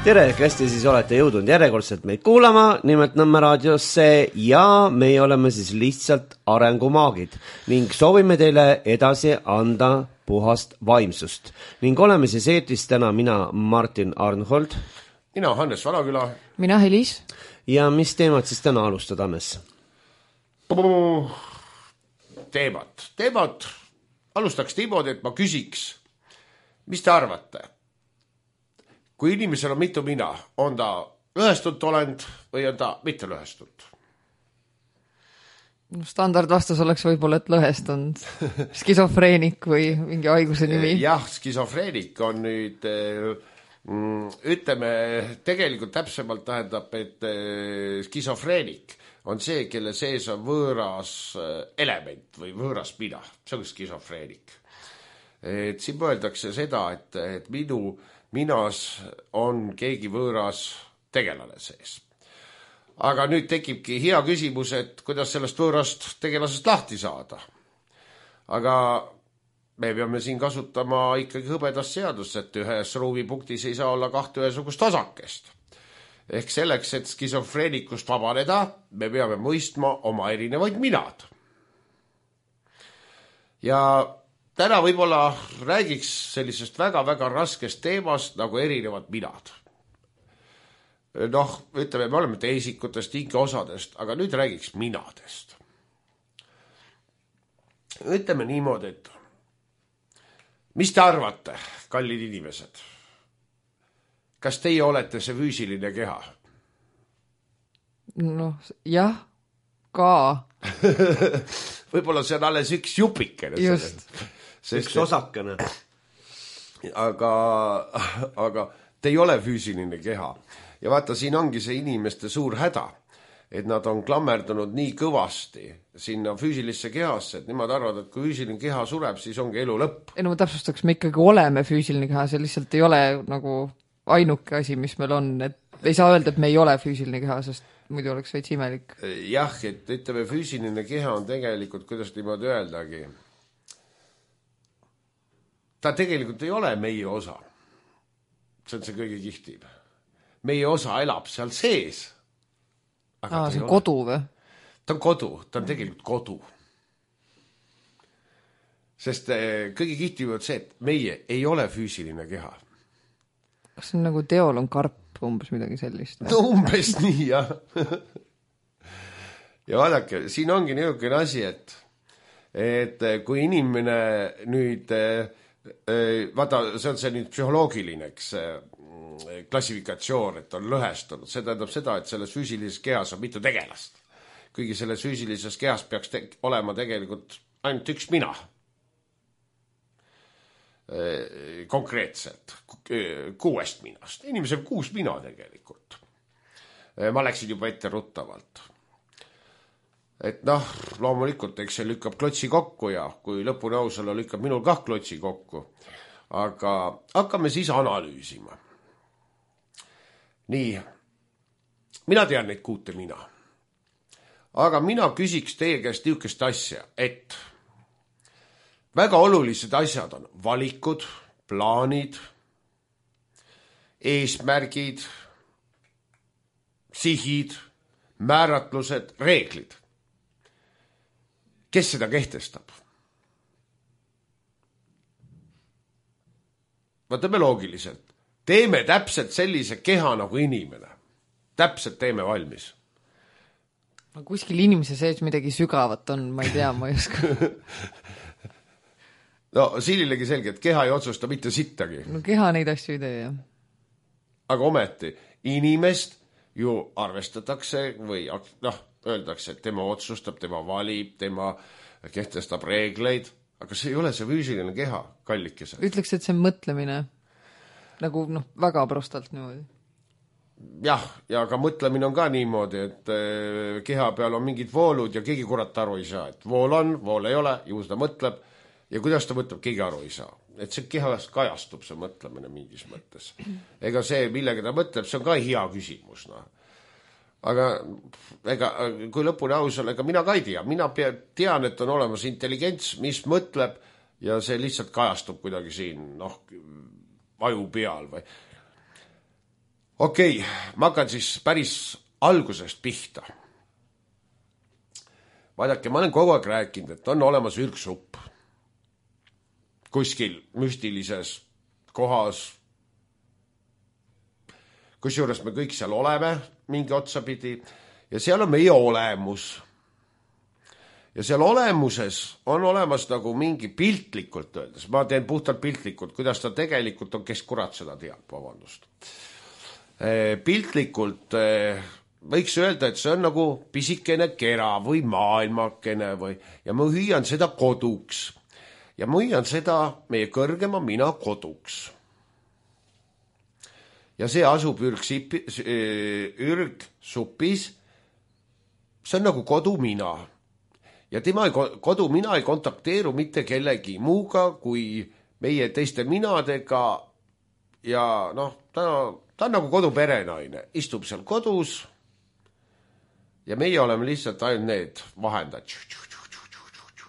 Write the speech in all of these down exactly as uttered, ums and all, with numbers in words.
tere, kes te siis olete jõudnud järjekordselt meid kuulama, nimelt Nõmme raadiosse ja meie oleme siis lihtsalt arengumaagid ning soovime teile edasi anda puhast vaimsust. Ning oleme siis eetris täna mina Martin Arnhold. Mina Hannes Valaküla. Mina Helis. Ja mis teemad siis täna alustada, Hannes? Teemad. Teemad alustaks niimoodi, et ma küsiks, mis te arvate? Kui inimesel on mitu mina, on ta lõhestunud olend või on ta mitte lõhestunud? Standardvastus oleks võib-olla, et lõhestunud. Skisofreenik või mingi haiguse nimi. Jah, skisofreenik on nüüd, ütleme, tegelikult täpsemalt tähendab, et skisofreenik on see, kelle sees on võõras element või võõras mina. See on skisofreenik. Et siin mõeldakse seda, et, et minu minas on keegi võõras tegelane sees. Aga nüüd tekibki hea küsimus, et kuidas sellest võõrast tegelasest lahti saada. Aga me peame siin kasutama ikkagi hõbedast seadust, et ühes ruumipunktis ei saa olla kahte ühesugust osakest. Ehk selleks, et skisofreenikust vabaneda, me peame mõistma oma erinevaid minad. Ja täna võib-olla räägiks sellisest väga-väga raskest teemast nagu erinevad minad. Noh, ütleme, me oleme teisikutest, hingeosadest, aga nüüd räägiks minadest. Ütleme niimoodi, et mis te arvate, kallid inimesed? Kas teie olete see füüsiline keha? Noh, jah, ka. Võib-olla see on alles üks jupikene. Just. Üks osakene. Aga, aga te ei ole füüsiline keha. Ja vaata, siin ongi see inimeste suur häda, et nad on klammerdunud nii kõvasti sinna füüsilisse kehasse, et nemad arvavad, et kui füüsiline keha sureb, siis ongi elu lõpp. Ei, no ma täpsustaks, me ikkagi oleme füüsiline keha, see lihtsalt ei ole nagu ainuke asi, mis meil on. Et ei saa öelda, et me ei ole füüsiline keha, sest muidu oleks veits imelik. Jah, et ütleme, füüsiline keha on tegelikult, kuidas niimoodi öeldagi, ta tegelikult ei ole meie osa. See on see kõige kihtim. Meie osa elab seal sees. Aa, see on kodu või? Ta on kodu, ta on tegelikult kodu. Sest kõige kihtim on see, et meie ei ole füüsiline keha. Kas see on nagu teol on karp, umbes midagi sellist? No umbes nii, jah. Ja vaadake, siin ongi niisugune asi, et, et kui inimene nüüd... Vaata, see on see nüüd psühholoogiline klassifikatsioon, et on lõhestunud. See tähendab seda, et selles füüsilises kehas on mitu tegelast. Kuigi selles füüsilises kehas peaks te- olema tegelikult ainult üks mina. Konkreetselt kuuest minast. Inimesel kuus mina tegelikult. Ma läksin juba ette ruttavalt. Et noh, loomulikult, eks see lükkab klotsi kokku ja kui lõpuni ausala lükkab minul kah klotsi kokku. Aga hakkame siis analüüsima. Nii, mina tean neid kuute mina. Aga mina küsiks teie käest niisugust asja, et väga olulised asjad on valikud, plaanid, eesmärgid, sihid, määratlused, reeglid. Kes seda kehtestab? Vaatame loogiliselt. Teeme täpselt sellise keha nagu inimene. Täpselt teeme valmis. No kuskil inimese sees midagi sügavat on, ma ei tea, ma ei oska. No siinilegi selge, et keha ei otsusta mitte sittagi. No keha neid asju ei tee, jah. Aga ometi, inimest ju arvestatakse või noh, öeldakse, et tema otsustab, tema valib, tema kehtestab reegleid, aga see ei ole see füüsiline keha, kallikesed. Ütleks, et see on mõtlemine, nagu noh, väga prostalt niimoodi. Jah, ja ka mõtlemine on ka niimoodi, et keha peal on mingid voolud ja keegi kurat aru ei saa, et vool on, vool ei ole, ju seda mõtleb ja kuidas ta mõtleb, keegi aru ei saa. Et see kehast kajastub see mõtlemine mingis mõttes. Ega see, millega ta mõtleb, see on ka hea küsimus, noh. Aga ega, kui lõpuni aus on, ega mina ka ei tea. Mina tean, et on olemas intelligents, mis mõtleb ja see lihtsalt kajastub kuidagi siin, noh, aju peal või. okei okay,, ma hakkan siis päris algusest pihta. Vaadake, ma olen kogu aeg rääkinud, et on olemas ürgsupp. Kuskil müstilises kohas. Kusjuures me kõik seal oleme mingi otsapidi ja seal on meie olemus. Ja seal olemuses on olemas nagu mingi piltlikult öeldes. Ma teen puhtalt piltlikult, kuidas ta tegelikult on, kes kurat seda teab, vabandust. Piltlikult võiks öelda, et see on nagu pisikene kera või maailmakene või, ja ma hüüan seda koduks. Ja ma hüüan seda meie kõrgema mina koduks. Ja see asub ürgsipi, ürgsupis, see on nagu kodu mina. Ja tema ei, kodu mina ei kontakteeru mitte kellegi muuga kui meie teiste minadega ja noh, ta, ta on nagu koduperenaine, istub seal kodus ja meie oleme lihtsalt ainult need vahendad.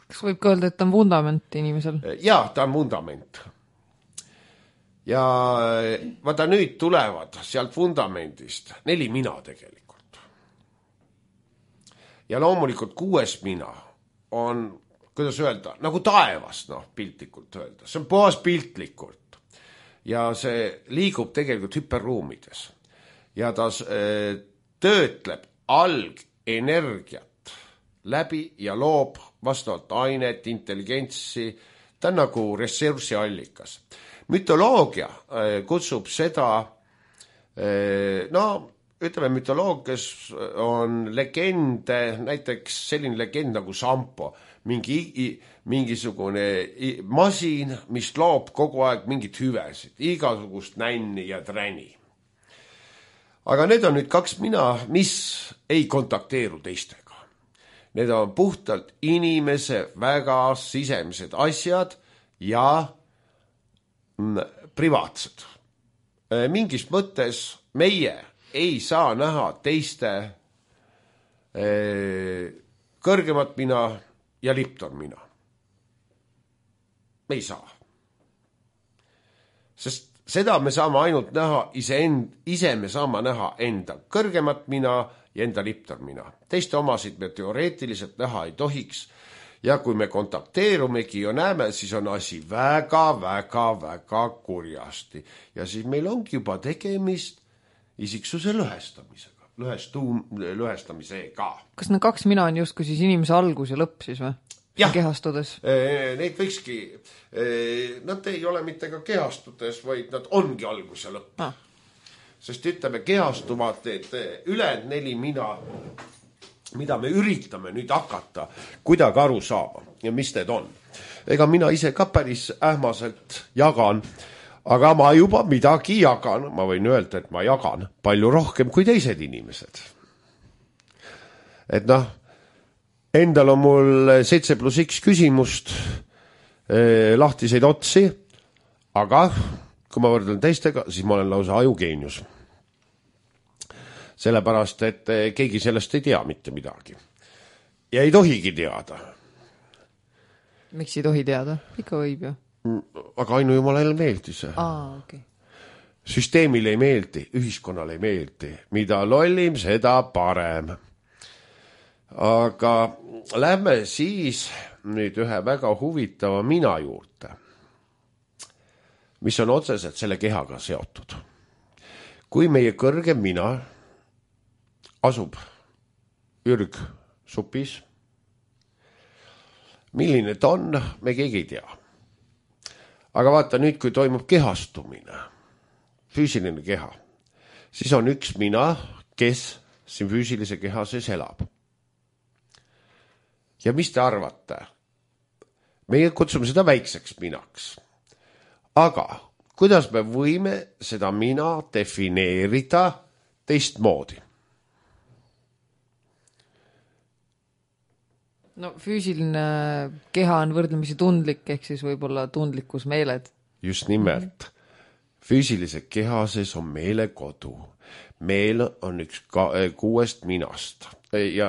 Kas võib ka öelda, et ta on vundament inimesel? Jaa, ta on vundament. Ja vaata nüüd tulevad sealt vundamendist neli mina tegelikult. Ja loomulikult kuues mina on, kuidas öelda, nagu taevas, noh, piltlikult öelda. See on puhas piltlikult. Ja see liigub tegelikult hüperruumides. Ja ta äh, töötleb algenergiat läbi ja loob vastavalt ainet, intelligentsi. Ta on nagu ressursi allikas. Mütoloogia äh, kutsub seda, äh, no, ütleme, mütoloogias on legende, näiteks selline legend nagu Sampo, mingi, mingisugune masin, mis loob kogu aeg mingit hüvesid, igasugust nänni ja träni. Aga need on nüüd kaks mina, mis ei kontakteeru teistega. Need on puhtalt inimese väga sisemised asjad ja privaatsed. Mingis mõttes meie ei saa näha teiste eh, kõrgemat mina ja lipton mina. Me ei saa. Sest seda me saame ainult näha ise, end, ise me saame näha enda kõrgemat mina ja enda lipton mina. Teiste omasid me teoreetiliselt näha ei tohiks. Ja kui me kontakteerumegi ja näeme, siis on asi väga, väga, väga kurjasti. Ja siis meil ongi juba tegemist isiksuse lõhestamisega, lõhestuum, lõhestamisega. Kas need kaks mina on justkui siis inimese algus ja lõpp siis või? Jah, kehastudes? Neid võikski, nad ei ole mitte ka kehastudes, vaid nad ongi algus ja lõpp. Ah. Sest ütleme, kehastuvad ülejäänud neli mina, mida me üritame nüüd hakata kuidagi aru saama ja mis need on. Ega mina ise ka päris ähmaselt jagan, aga ma juba midagi jagan, ma võin öelda, et ma jagan palju rohkem kui teised inimesed. Et noh, endal on mul seitse pluss X küsimust, eh, lahtiseid otsi, aga kui ma võrdlen teistega, siis ma olen lausa ajugeenius. Sellepärast, et keegi sellest ei tea mitte midagi. Ja ei tohigi teada. Miks ei tohi teada? Ikka võib ju. Aga ainu jumalale meeldi see. Aa, okay. Süsteemile ei meeldi, ühiskonnale ei meeldi. Mida lollim, seda parem. Aga lähme siis nüüd ühe väga huvitava mina juurde, mis on otseselt selle kehaga seotud. Kui meie kõrgem mina asub ürgsupis, milline ta on, me keegi ei tea. Aga vaata nüüd, kui toimub kehastumine, füüsiline keha, siis on üks mina, kes siin füüsilise keha sees elab. Ja mis te arvate? Meie kutsume seda väikseks minaks. Aga kuidas me võime seda mina defineerida teistmoodi? No füüsiline keha on võrdlemisi tundlik, ehk siis võib-olla tundlikkus meeled. Just nimelt. Füüsilise keha sees on meele kodu. Meel on üks kuuest minast ja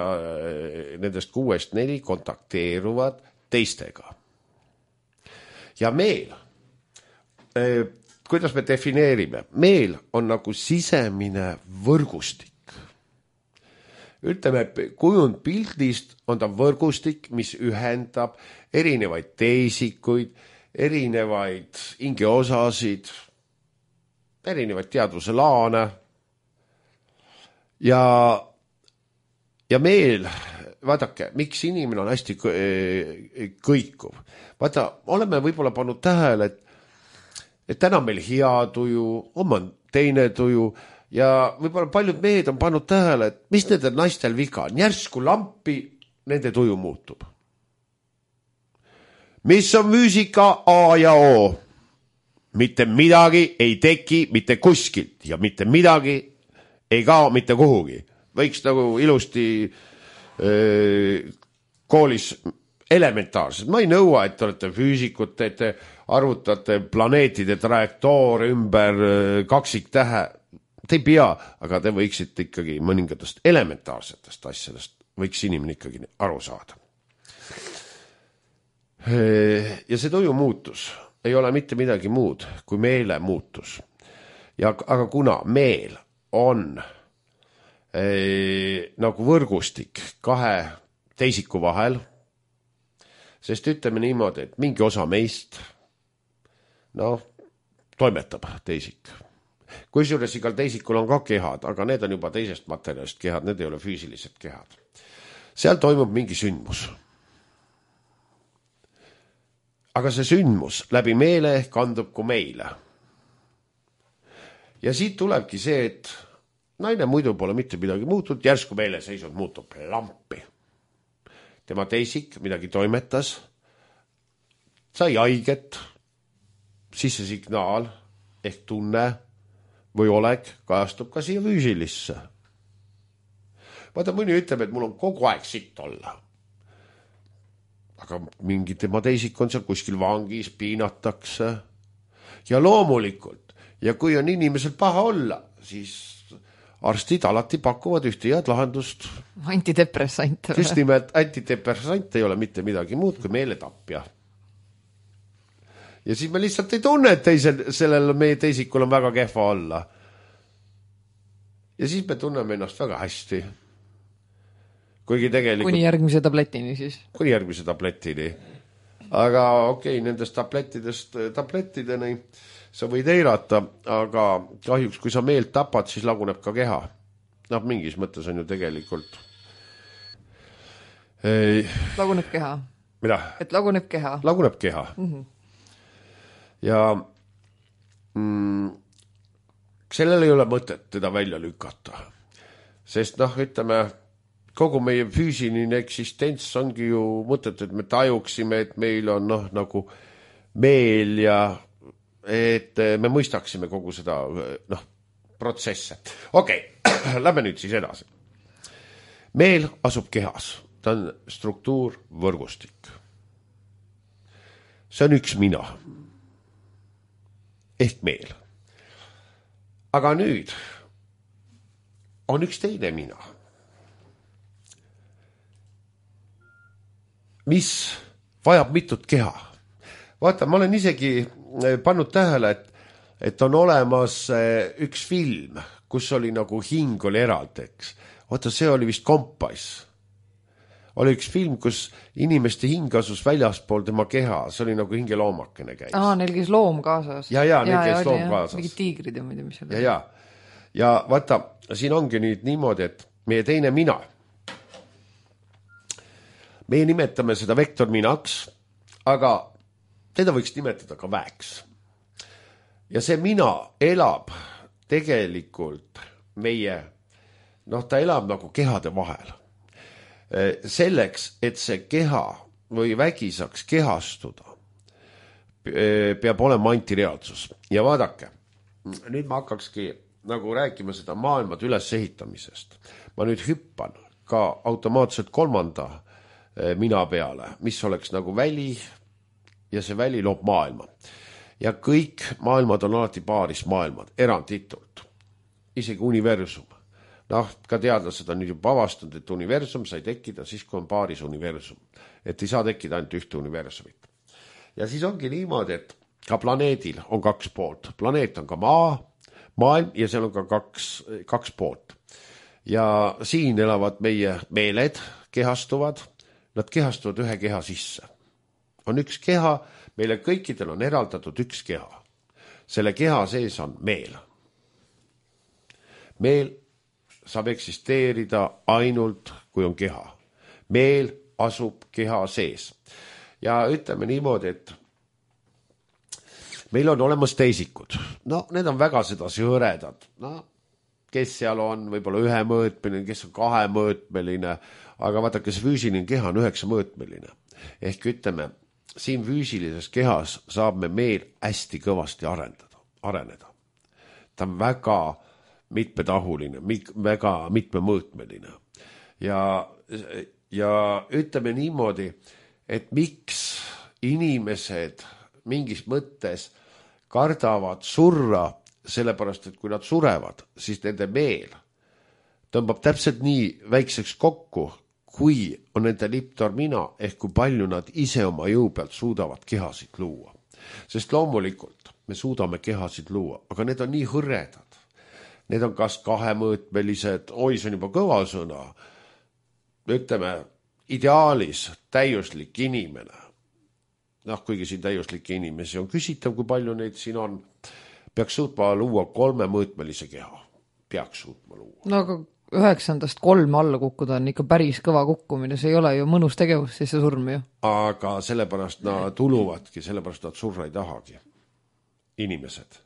nendest kuuest neli kontakteeruvad teistega. Ja meel, kuidas me defineerime? Meel on nagu sisemine võrgustik. Ütleme, kujund pildist on ta võrgustik, mis ühendab erinevaid teisikuid, erinevaid hingeosasid, erinevaid teadvuse laane. Ja, ja meel, vaadake, miks inimene on hästi kõikuv. Vaata, oleme võib-olla pannud tähele, et, et täna meil hea tuju, on teine tuju, ja võib-olla paljud mehed on pannud tähele, et mis nende naistel viga on. Järsku lampi nende tuju muutub. Mis on füüsika A ja O? Mitte midagi ei teki mitte kuskilt ja mitte midagi ei kao mitte kuhugi. Võiks nagu ilusti öö, koolis elementaarselt. Ma ei nõua, et te olete füüsikud, et te arvutate planeetide trajektoor ümber kaksiktähe. Te ei pea, aga te võiksite ikkagi mõningatest elementaarsetest asjadest, võiks inimene ikkagi aru saada. Ja see tuju muutus ei ole mitte midagi muud kui meele muutus. Ja, aga kuna meel on eh, nagu võrgustik kahe teisiku vahel, sest ütleme niimoodi, et mingi osa meist no, toimetab teisik. Kusjuures igal teisikul on ka kehad, aga need on juba teisest materjalist kehad, need ei ole füüsilised kehad. Seal toimub mingi sündmus. Aga see sündmus läbi meele kandub kui meile. Ja siit tulebki see, et naine muidu pole mitte midagi muutunud, järsku meele seisund muutub lampi. Tema teisik midagi toimetas, sai haiget, siis see signaal ehk tunne või olek kajastub ka siia füüsilisse. Vaata, mõni ütleb, et mul on kogu aeg sitt olla. Aga mingi tema teisik on seal kuskil vangis, piinatakse. Ja loomulikult, ja kui on inimesel paha olla, siis arstid alati pakuvad ühte head lahendust. Antidepressant. Just nimelt, antidepressant ei ole mitte midagi muud kui meeletapja. Ja siis me lihtsalt ei tunne, et teisel, sellel meie teisikul on väga kehva olla. Ja siis me tunneme ennast väga hästi. Kuigi tegelikult... Kuni järgmise tabletini siis. Kuni järgmise tabletini. Aga okei, okay, nendest tablettidest tablettideni sa võid eirata, aga kahjuks, kui sa meelt tapad, siis laguneb ka keha. Noh, mingis mõttes on ju tegelikult... Ei... Laguneb keha. Mida? Et laguneb keha. Laguneb keha. Mhm. Ja mm, sellel ei ole mõtet teda välja lükata. Sest noh, ütleme, kogu meie füüsiline eksistents ongi ju mõtet, et me tajuksime, et meil on noh, nagu meel ja et me mõistaksime kogu seda noh, protsesse. Okei, okay. Lähme nüüd siis edasi. Meel asub kehas. Ta on struktuur, võrgustik. See on üks mina. Ehk meel. Aga nüüd on üks teine mina, mis vajab mitut keha. Vaata, ma olen isegi pannud tähele, et, et on olemas üks film, kus oli nagu hing oli eraldeks. Vaata, see oli vist Kompass. Oli üks film, kus inimeste hing asus väljaspool tema keha. See oli nagu hingeloomakene käis. Aa, neil käis loom kaasas. Ja, ja, neil käis loom kaasas. Mingid tiigrid ja muidu, mis oli. Ja, ja. Ja vaata, siin ongi nüüd niimoodi, et meie teine mina. Meie nimetame seda vektorminaks, aga teda võiks nimetada ka väeks. Ja see mina elab tegelikult meie, noh, ta elab nagu kehade vahel. Selleks, et see keha või vägi saaks kehastuda, peab olema antireaalsus. Ja vaadake, nüüd ma hakkakski nagu rääkima seda maailmad ülesehitamisest. Ma nüüd hüppan ka automaatselt kolmanda mina peale, mis oleks nagu väli ja see väli loob maailma. Ja kõik maailmad on alati paaris maailmad, eranditult. Isegi universum. Noh, ka teadlased on nüüd juba avastanud, et universum sai tekkida siis, kui on paaris universum. Et ei saa tekkida ainult ühte universumit. Ja siis ongi niimoodi, et ka planeedil on kaks poolt. Planeet on ka maa, maailm ja seal on ka kaks, kaks poolt. Ja siin elavad meie meeled, kehastuvad, nad kehastuvad ühe keha sisse. On üks keha, meile kõikidel on eraldatud üks keha. Selle keha sees on meel. Meel saab eksisteerida ainult, kui on keha. Meel asub keha sees. Ja ütleme niimoodi, et meil on olemas teisikud. No, need on väga sedasi hõredad. No, kes seal on võib-olla ühemõõtmeline, kes on kahemõõtmeline, aga vaadake, see füüsiline keha on üheksamõõtmeline. Ehk ütleme, siin füüsilises kehas saab me meel hästi kõvasti arendada, areneda. Ta on väga mitmetahuline, väga mitmemõõtmeline. Ja, ja ütleme niimoodi, et miks inimesed mingis mõttes kardavad surra, sellepärast, et kui nad surevad, siis nende meel tõmbab täpselt nii väikseks kokku, kui on nende liptormina, ehk kui palju nad ise oma jõu pealt suudavad kehasid luua. Sest loomulikult me suudame kehasid luua, aga need on nii hõredad. Need on kas kahemõõtmelised, oi, see on juba kõva sõna, ütleme, ideaalis täiuslik inimene. Noh, kuigi siin täiuslikke inimesi on küsitav, kui palju neid siin on, peaks suutma luua kolmemõõtmelise keha. Peaks suutma luua. No aga üheksandast kolme alla kukkuda on ikka päris kõva kukkumine, see ei ole ju mõnus tegevus, siis see surm ju. Aga sellepärast nad tuluvadki, sellepärast nad surra ei tahagi. Inimesed.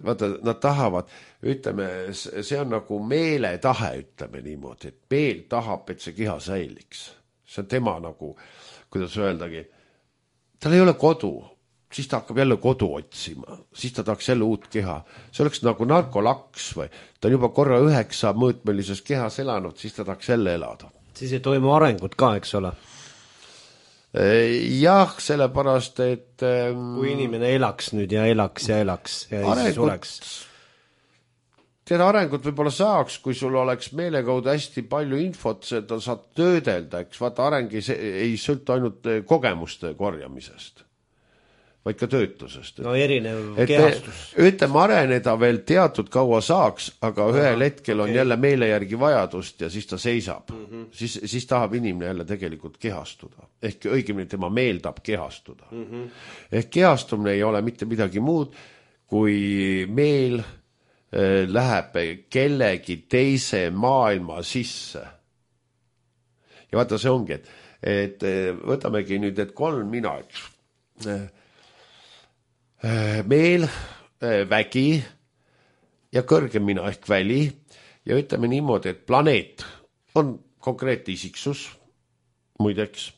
Vaata, nad tahavad, ütleme, see on nagu meeletahe, ütleme niimoodi, et meel tahab, et see keha säiliks. See on tema nagu, kuidas öeldagi, tal ei ole kodu, siis ta hakkab jälle kodu otsima, siis ta tahaks jälle uut keha. See oleks nagu narkolaks või ta on juba korra üheksa mõõtmelises kehas elanud, siis ta tahaks jälle elada. Siis ei toimu arengut ka, eks ole? Jah, sellepärast, et kui inimene elaks nüüd ja elaks ja elaks ja ei sureks. Tead, arengut võib-olla saaks, kui sul oleks meelekaudu hästi palju infot, seda saad töödelda, eks vaata areng ei, ei sõltu ainult kogemuste korjamisest, vaid ka töötusest. No erinev et kehastus. Ütleme, areneda veel teatud kaua saaks, aga ühel Aha, hetkel on okay. jälle meele järgi vajadust ja siis ta seisab. Mm -hmm. siis, siis tahab inimene jälle tegelikult kehastuda. Ehk õigemini tema meel tahab kehastuda. Mm -hmm. Ehk kehastumine ei ole mitte midagi muud, kui meel läheb kellegi teise maailma sisse. Ja vaata, see ongi, et, et võtamegi nüüd, et kolm mina, eks. Meel, vägi ja kõrgem mina ehk väli ja ütleme niimoodi, et planeet on konkreetne isiksus, muideks,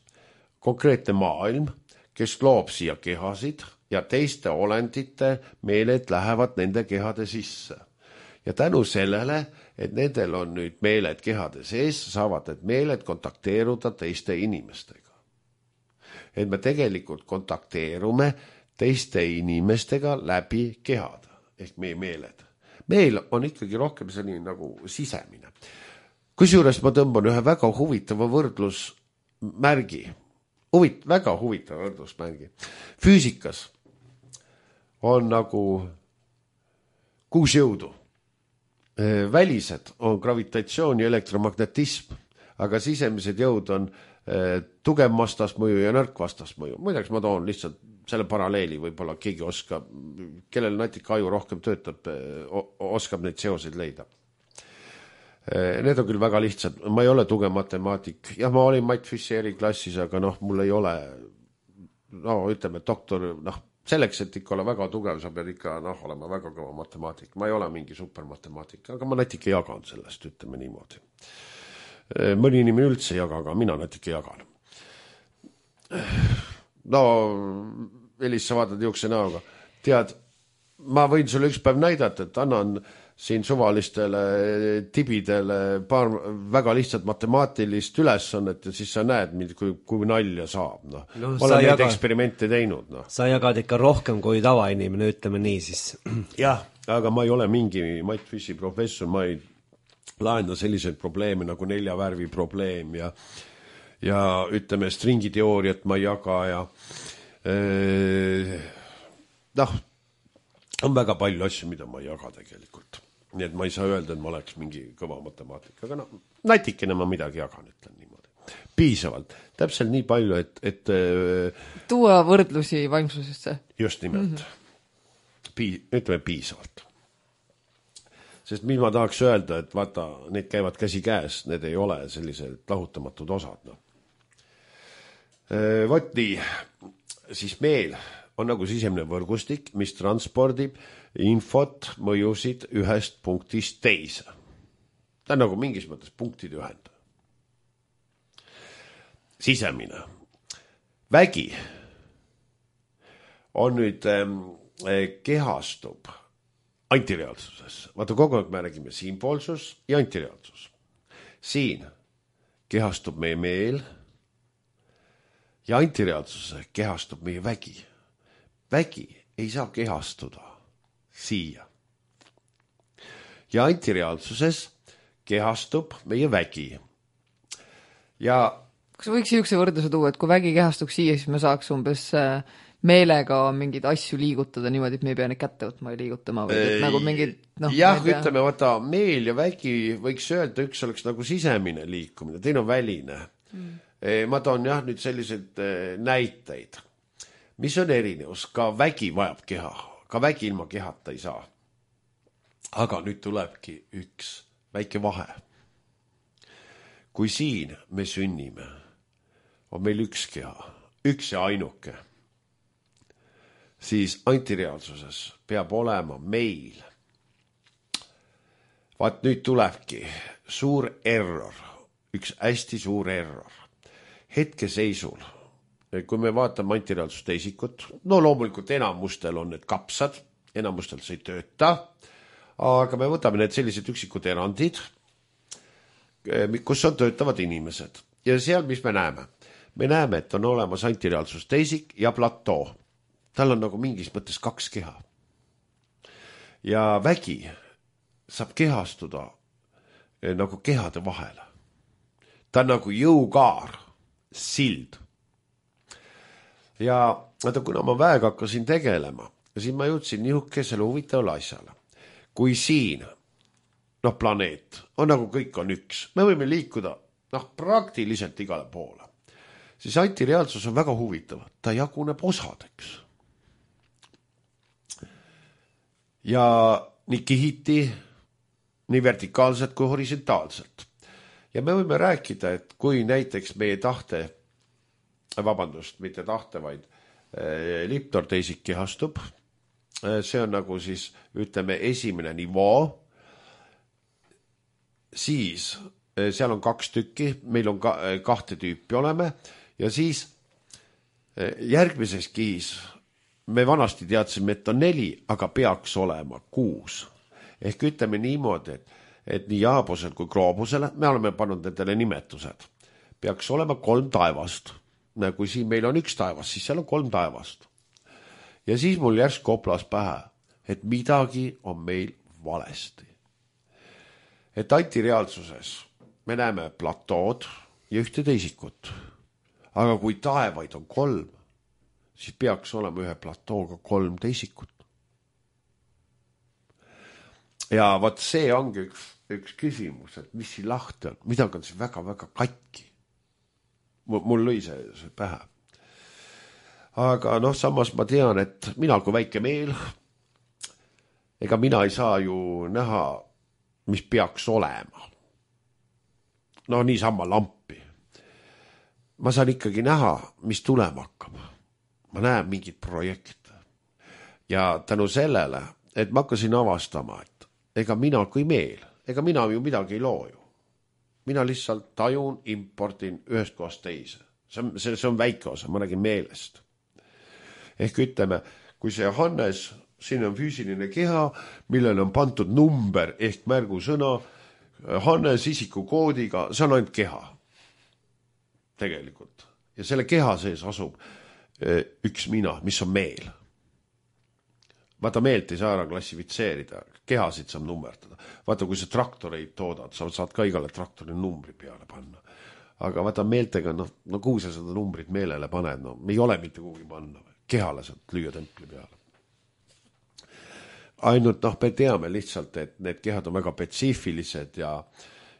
konkreetne maailm, kes loob siia kehasid ja teiste olendite meeled lähevad nende kehade sisse. Ja tänu sellele, et nendel on nüüd meeled kehade sees, saavad need meeled kontakteeruda teiste inimestega. Et me tegelikult kontakteerume teiste inimestega läbi kehad, ehk meie meeled. Meel on ikkagi rohkem selline nagu sisemine. Kusjuures ma tõmban ühe väga huvitava võrdlusmärgi. Huvit, väga huvitava võrdlusmärgi. Füüsikas on nagu kuus jõudu. Välised on gravitatsioon ja elektromagnetism, aga sisemised jõud on tugev vastasmõju ja nõrk vastasmõju. Muideks ma toon lihtsalt selle paralleeli, võib-olla keegi oskab, kellel natuke aju rohkem töötab, oskab neid seoseid leida. Need on küll väga lihtsad, ma ei ole tugev matemaatik. Jah, ma olin Mait Fischeri klassis, aga noh, mul ei ole, no ütleme, doktor, noh, selleks, et ikka ole väga tugev, sa pead ikka noh, olema väga kõva matemaatik. Ma ei ole mingi supermatemaatik, aga ma natuke jagan sellest, ütleme niimoodi. Mõni inimene üldse jaga, aga mina natuke jagan. No, Elis, sa vaatad juukse näoga. Tead, ma võin sulle üks päev näidata, et annan siin suvalistele tibidele paar väga lihtsat matemaatilist ülesannet ja siis sa näed, kui, kui nalja saab. No. No, ma olen neid jaga... eksperimente teinud. No. Sa jagad ikka rohkem kui tavainimene, ütleme nii siis. Jah, aga ma ei ole mingi Mait Fischi professor, ma ei laenda selliseid probleeme nagu nelja värvi probleem ja, ja ütleme stringiteooriat ma ei jaga ja öö, noh, on väga palju asju, mida ma ei jaga tegelikult. Nii et ma ei saa öelda, et ma oleks mingi kõva matemaatika, aga noh, natikene ma midagi jagan, ütlen niimoodi. Piisavalt. Täpselt nii palju, et... et tuua võrdlusi vaimsusesse. Just nimelt. Mm-hmm. Pii, ütleme piisavalt. Sest mis ma tahaks öelda, et vaata, need käivad käsi käes, need ei ole sellised lahutamatud osad. No. Võt nii, siis meil on nagu sisemine võrgustik, mis transpordib infot, mõjusid ühest punktist teise. Ta on nagu mingis mõttes punktid ühend. Sisemine. Vägi on nüüd eh, kehastub antireaalsuses. Vaata, kogu aeg me räägime siinpoolsus ja antireaalsus. Siin kehastub meie meel ja antireaalsuse kehastub meie vägi. Vägi ei saa kehastuda siia. Ja antireaalsuses kehastub meie vägi. Ja kas võiks siukse võrdluse tuua, et kui vägi kehastuks siia, siis me saaks umbes meelega mingeid asju liigutada niimoodi, et me ei pea neid kätte võtma ja liigutama või et nagu mingid, noh, jah, ütleme, vaata, meel ja vägi võiks öelda, üks oleks nagu sisemine liikumine, teine on väline. Mm. Ma toon jah nüüd sellised näiteid. Mis on erinevus? Ka vägi vajab keha. Ka vägi ilma kehata ei saa. Aga nüüd tulebki üks väike vahe. Kui siin me sünnime, on meil üks keha, üks ja ainuke, siis antireaalsuses peab olema meil. Vaat nüüd tulebki suur error, üks hästi suur error. Hetkeseisul, kui me vaatame antireaalsust isikut, no loomulikult enamustel on need kapsad, enamustel see ei tööta, aga me võtame need sellised üksikud erandid, kus on töötavad inimesed. Ja seal, mis me näeme? Me näeme, et on olemas antireaalsust isik ja platoo. Tal on nagu mingis mõttes kaks keha. Ja vägi saab kehastuda nagu kehade vahele. Ta on nagu jõukaar, sild. Ja vaata, kuna ma väega hakkasin tegelema, siis ma jõudsin nihukesele huvitavale asjale. Kui siin, noh, planeet, on nagu kõik on üks, me võime liikuda, noh, praktiliselt igale poole. Siis antireaalsus on väga huvitav. Ta jaguneb osadeks. Ja nii kihiti, nii vertikaalselt kui horisontaalselt. Ja me võime rääkida, et kui näiteks meie tahte, vabandust, mitte tahte, vaid eh, liptorteisik kehastub, eh, see on nagu siis, ütleme, esimene nivoo, siis eh, seal on kaks tükki, meil on ka, eh, kahte tüüpi oleme, ja siis eh, järgmises kihis me vanasti teadsime, et on neli, aga peaks olema kuus. Ehk ütleme niimoodi, et, et nii jaabusel kui gloobusele, me oleme pannud nendele nimetused, peaks olema kolm taevast. Kui siin meil on üks taevas, siis seal on kolm taevast. Ja siis mul järsk koplas pähe, et midagi on meil valesti. Et antireaalsuses me näeme platood ja ühte teisikut. Aga kui taevaid on kolm, siis peaks olema ühe platooga kolm teisikut. Ja vaat see ongi üks, üks küsimus, et mis siin lahti on, midagi on see väga-väga katki. Mul lõi see, see pähe. Aga noh, samas ma tean, et mina kui väike meel, ega mina ei saa ju näha, mis peaks olema. No niisama lampi. Ma saan ikkagi näha, mis tulema hakkab. Ma näen mingit projekte. Ja tänu sellele, et ma hakkasin avastama, et ega mina kui meel, ega mina ju midagi ei loo ju. Mina lihtsalt tajun, importin ühest kohast teise. See on, see, see on väike osa, ma räägin meelest. Ehk ütleme, kui see Hannes, siin on füüsiline keha, millele on pandud number ehk märgusõna, Hannes isikukoodiga, see on ainult keha. Tegelikult. Ja selle keha sees asub üks mina, mis on meel. Vaata, meelt ei saa ära klassifitseerida, kehasid saab nummerdada. Vaata, kui sa traktoreid toodad, sa saad ka igale traktori numbri peale panna. Aga vaata, meeltega, no, no kuhu sa seda numbrit meelele paned, no me ei ole mitte kuhugi panna. Kehale saad lüüa templi peale. ainult noh, me teame lihtsalt, et need kehad on väga spetsiifilised ja,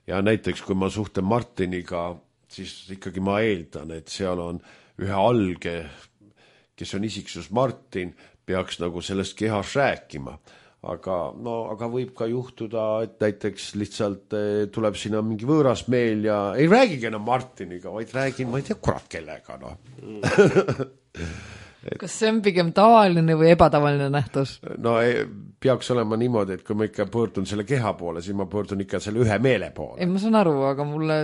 ja näiteks kui ma suhtlen Martiniga, siis ikkagi ma eeldan, et seal on ühe alge, kes on isiksus Martin, peaks nagu sellest kehas rääkima. Aga, no, aga võib ka juhtuda, et näiteks lihtsalt tuleb sinna mingi võõras meel ja ei räägigi enam Martiniga, vaid räägin, ma ei tea, kurat kellega. No. Kas see on pigem tavaline või ebatavaline nähtus? No ei, peaks olema niimoodi, et kui ma ikka pöördun selle keha poole, siis ma pöördun ikka selle ühe meele poole. Ei, ma saan aru, aga mulle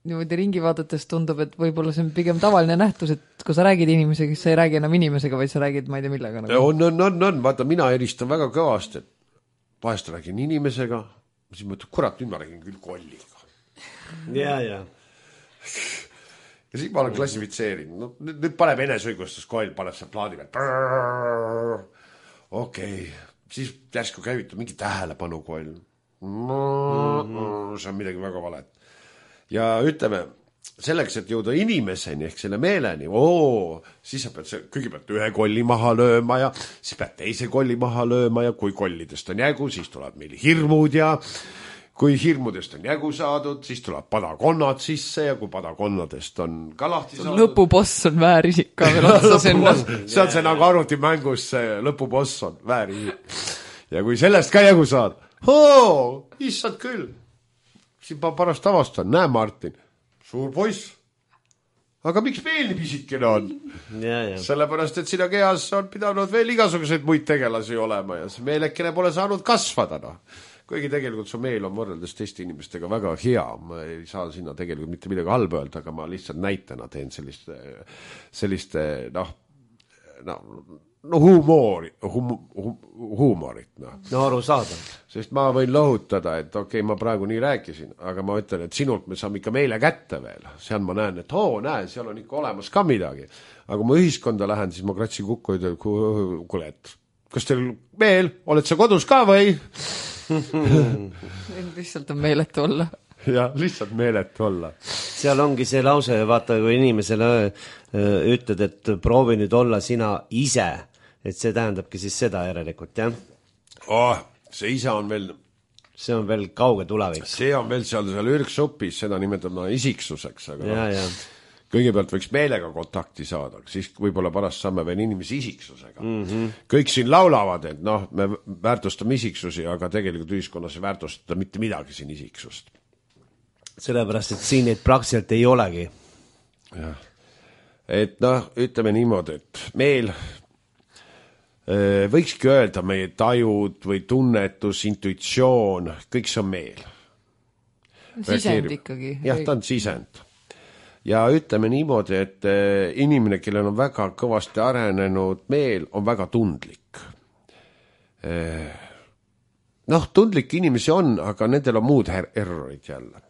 niimoodi ringi vaadates tundub, et võib-olla see on pigem tavaline nähtus, et kui sa räägid inimesega, siis sa ei räägi enam inimesega, vaid sa räägid, ma ei tea millega. Nagu. On, on, on, on, vaata, mina eristan väga kõvasti, et vahest räägin inimesega, siis mõtled, kurat, nüüd ma räägin küll kolliga. Ja, ja. Ja siis ma olen klassifitseerinud. No, nüüd, nüüd paneb enesõigustus koll, paneb see plaadi peal. Okei. Siis järsku käivitab mingi tähelepanu koll. See on midagi väga valet. Ja ütleme, selleks, et jõuda inimeseni ehk selle meeleni, oo, siis sa pead see, kõigepealt ühe kolli maha lööma ja siis pead teise kolli maha lööma ja kui kollidest on jägu, siis tuleb meil hirmud ja kui hirmudest on jägu saadud, siis tuleb padakonnad sisse ja kui padakonnadest on ka lahti saadud. Lõpuboss on väärisik ka veel otsa sinna. See on see nagu arvutimängus, see lõpuboss on väärisik. Ja kui sellest ka jägu saad, oo, issad küll. Siin ma parast avastan, näe Martin, suur poiss. Aga miks veel nii pisikene on? Ja, ja. Sellepärast, et sina kehas on pidanud veel igasuguseid muid tegelasi olema ja see meelekene pole saanud kasvada. No. Kuigi tegelikult su meel on võrreldes teiste inimestega väga hea. Ma ei saa sinna tegelikult mitte midagi halba öelda, aga ma lihtsalt näitena teen selliste, selliste noh, no, no huumori, hum, hum, huumorit. No. no aru saada. Sest ma võin lohutada, et okei, okay, ma praegu nii rääkisin, aga ma ütlen, et sinult me saame ikka meile kätte veel. Seal ma näen, et oo, näe, seal on ikka olemas ka midagi. Aga kui ma ühiskonda lähen, siis ma kratsin kukku ja ütlen, kuule, et kas teil meel, oled sa kodus ka või? lihtsalt on meeletu olla. Ja, lihtsalt meeletu olla. Seal ongi see lause, vaata, kui inimesele ütled, et proovi nüüd olla sina ise, et see tähendabki siis seda järelikult, jah? Oh, see ise on veel... See on veel kauge tulevik. See on veel seal, seal ürksupis, seda nimetab isiksuseks, aga ja, ja. Kõigepealt võiks meelega kontakti saada, siis võib-olla parast saame veel inimesi isiksusega. Mm-hmm. Kõik siin laulavad, et noh, me väärtustame isiksusi, aga tegelikult ühiskonnas ei väärtustada mitte midagi siin isiksust. Sellepärast, et siin neid praktiliselt ei olegi. Ja. Et noh, ütleme niimoodi, et meel võikski öelda meie tajud või tunnetus, intuitsioon, kõik see on meel. Sisend ikkagi. Jah, ta on sisend. Ja ütleme niimoodi, et inimene, kellel on väga kõvasti arenenud meel, on väga tundlik. Noh, tundlik inimesi on, aga nendel on muud errorid jälle.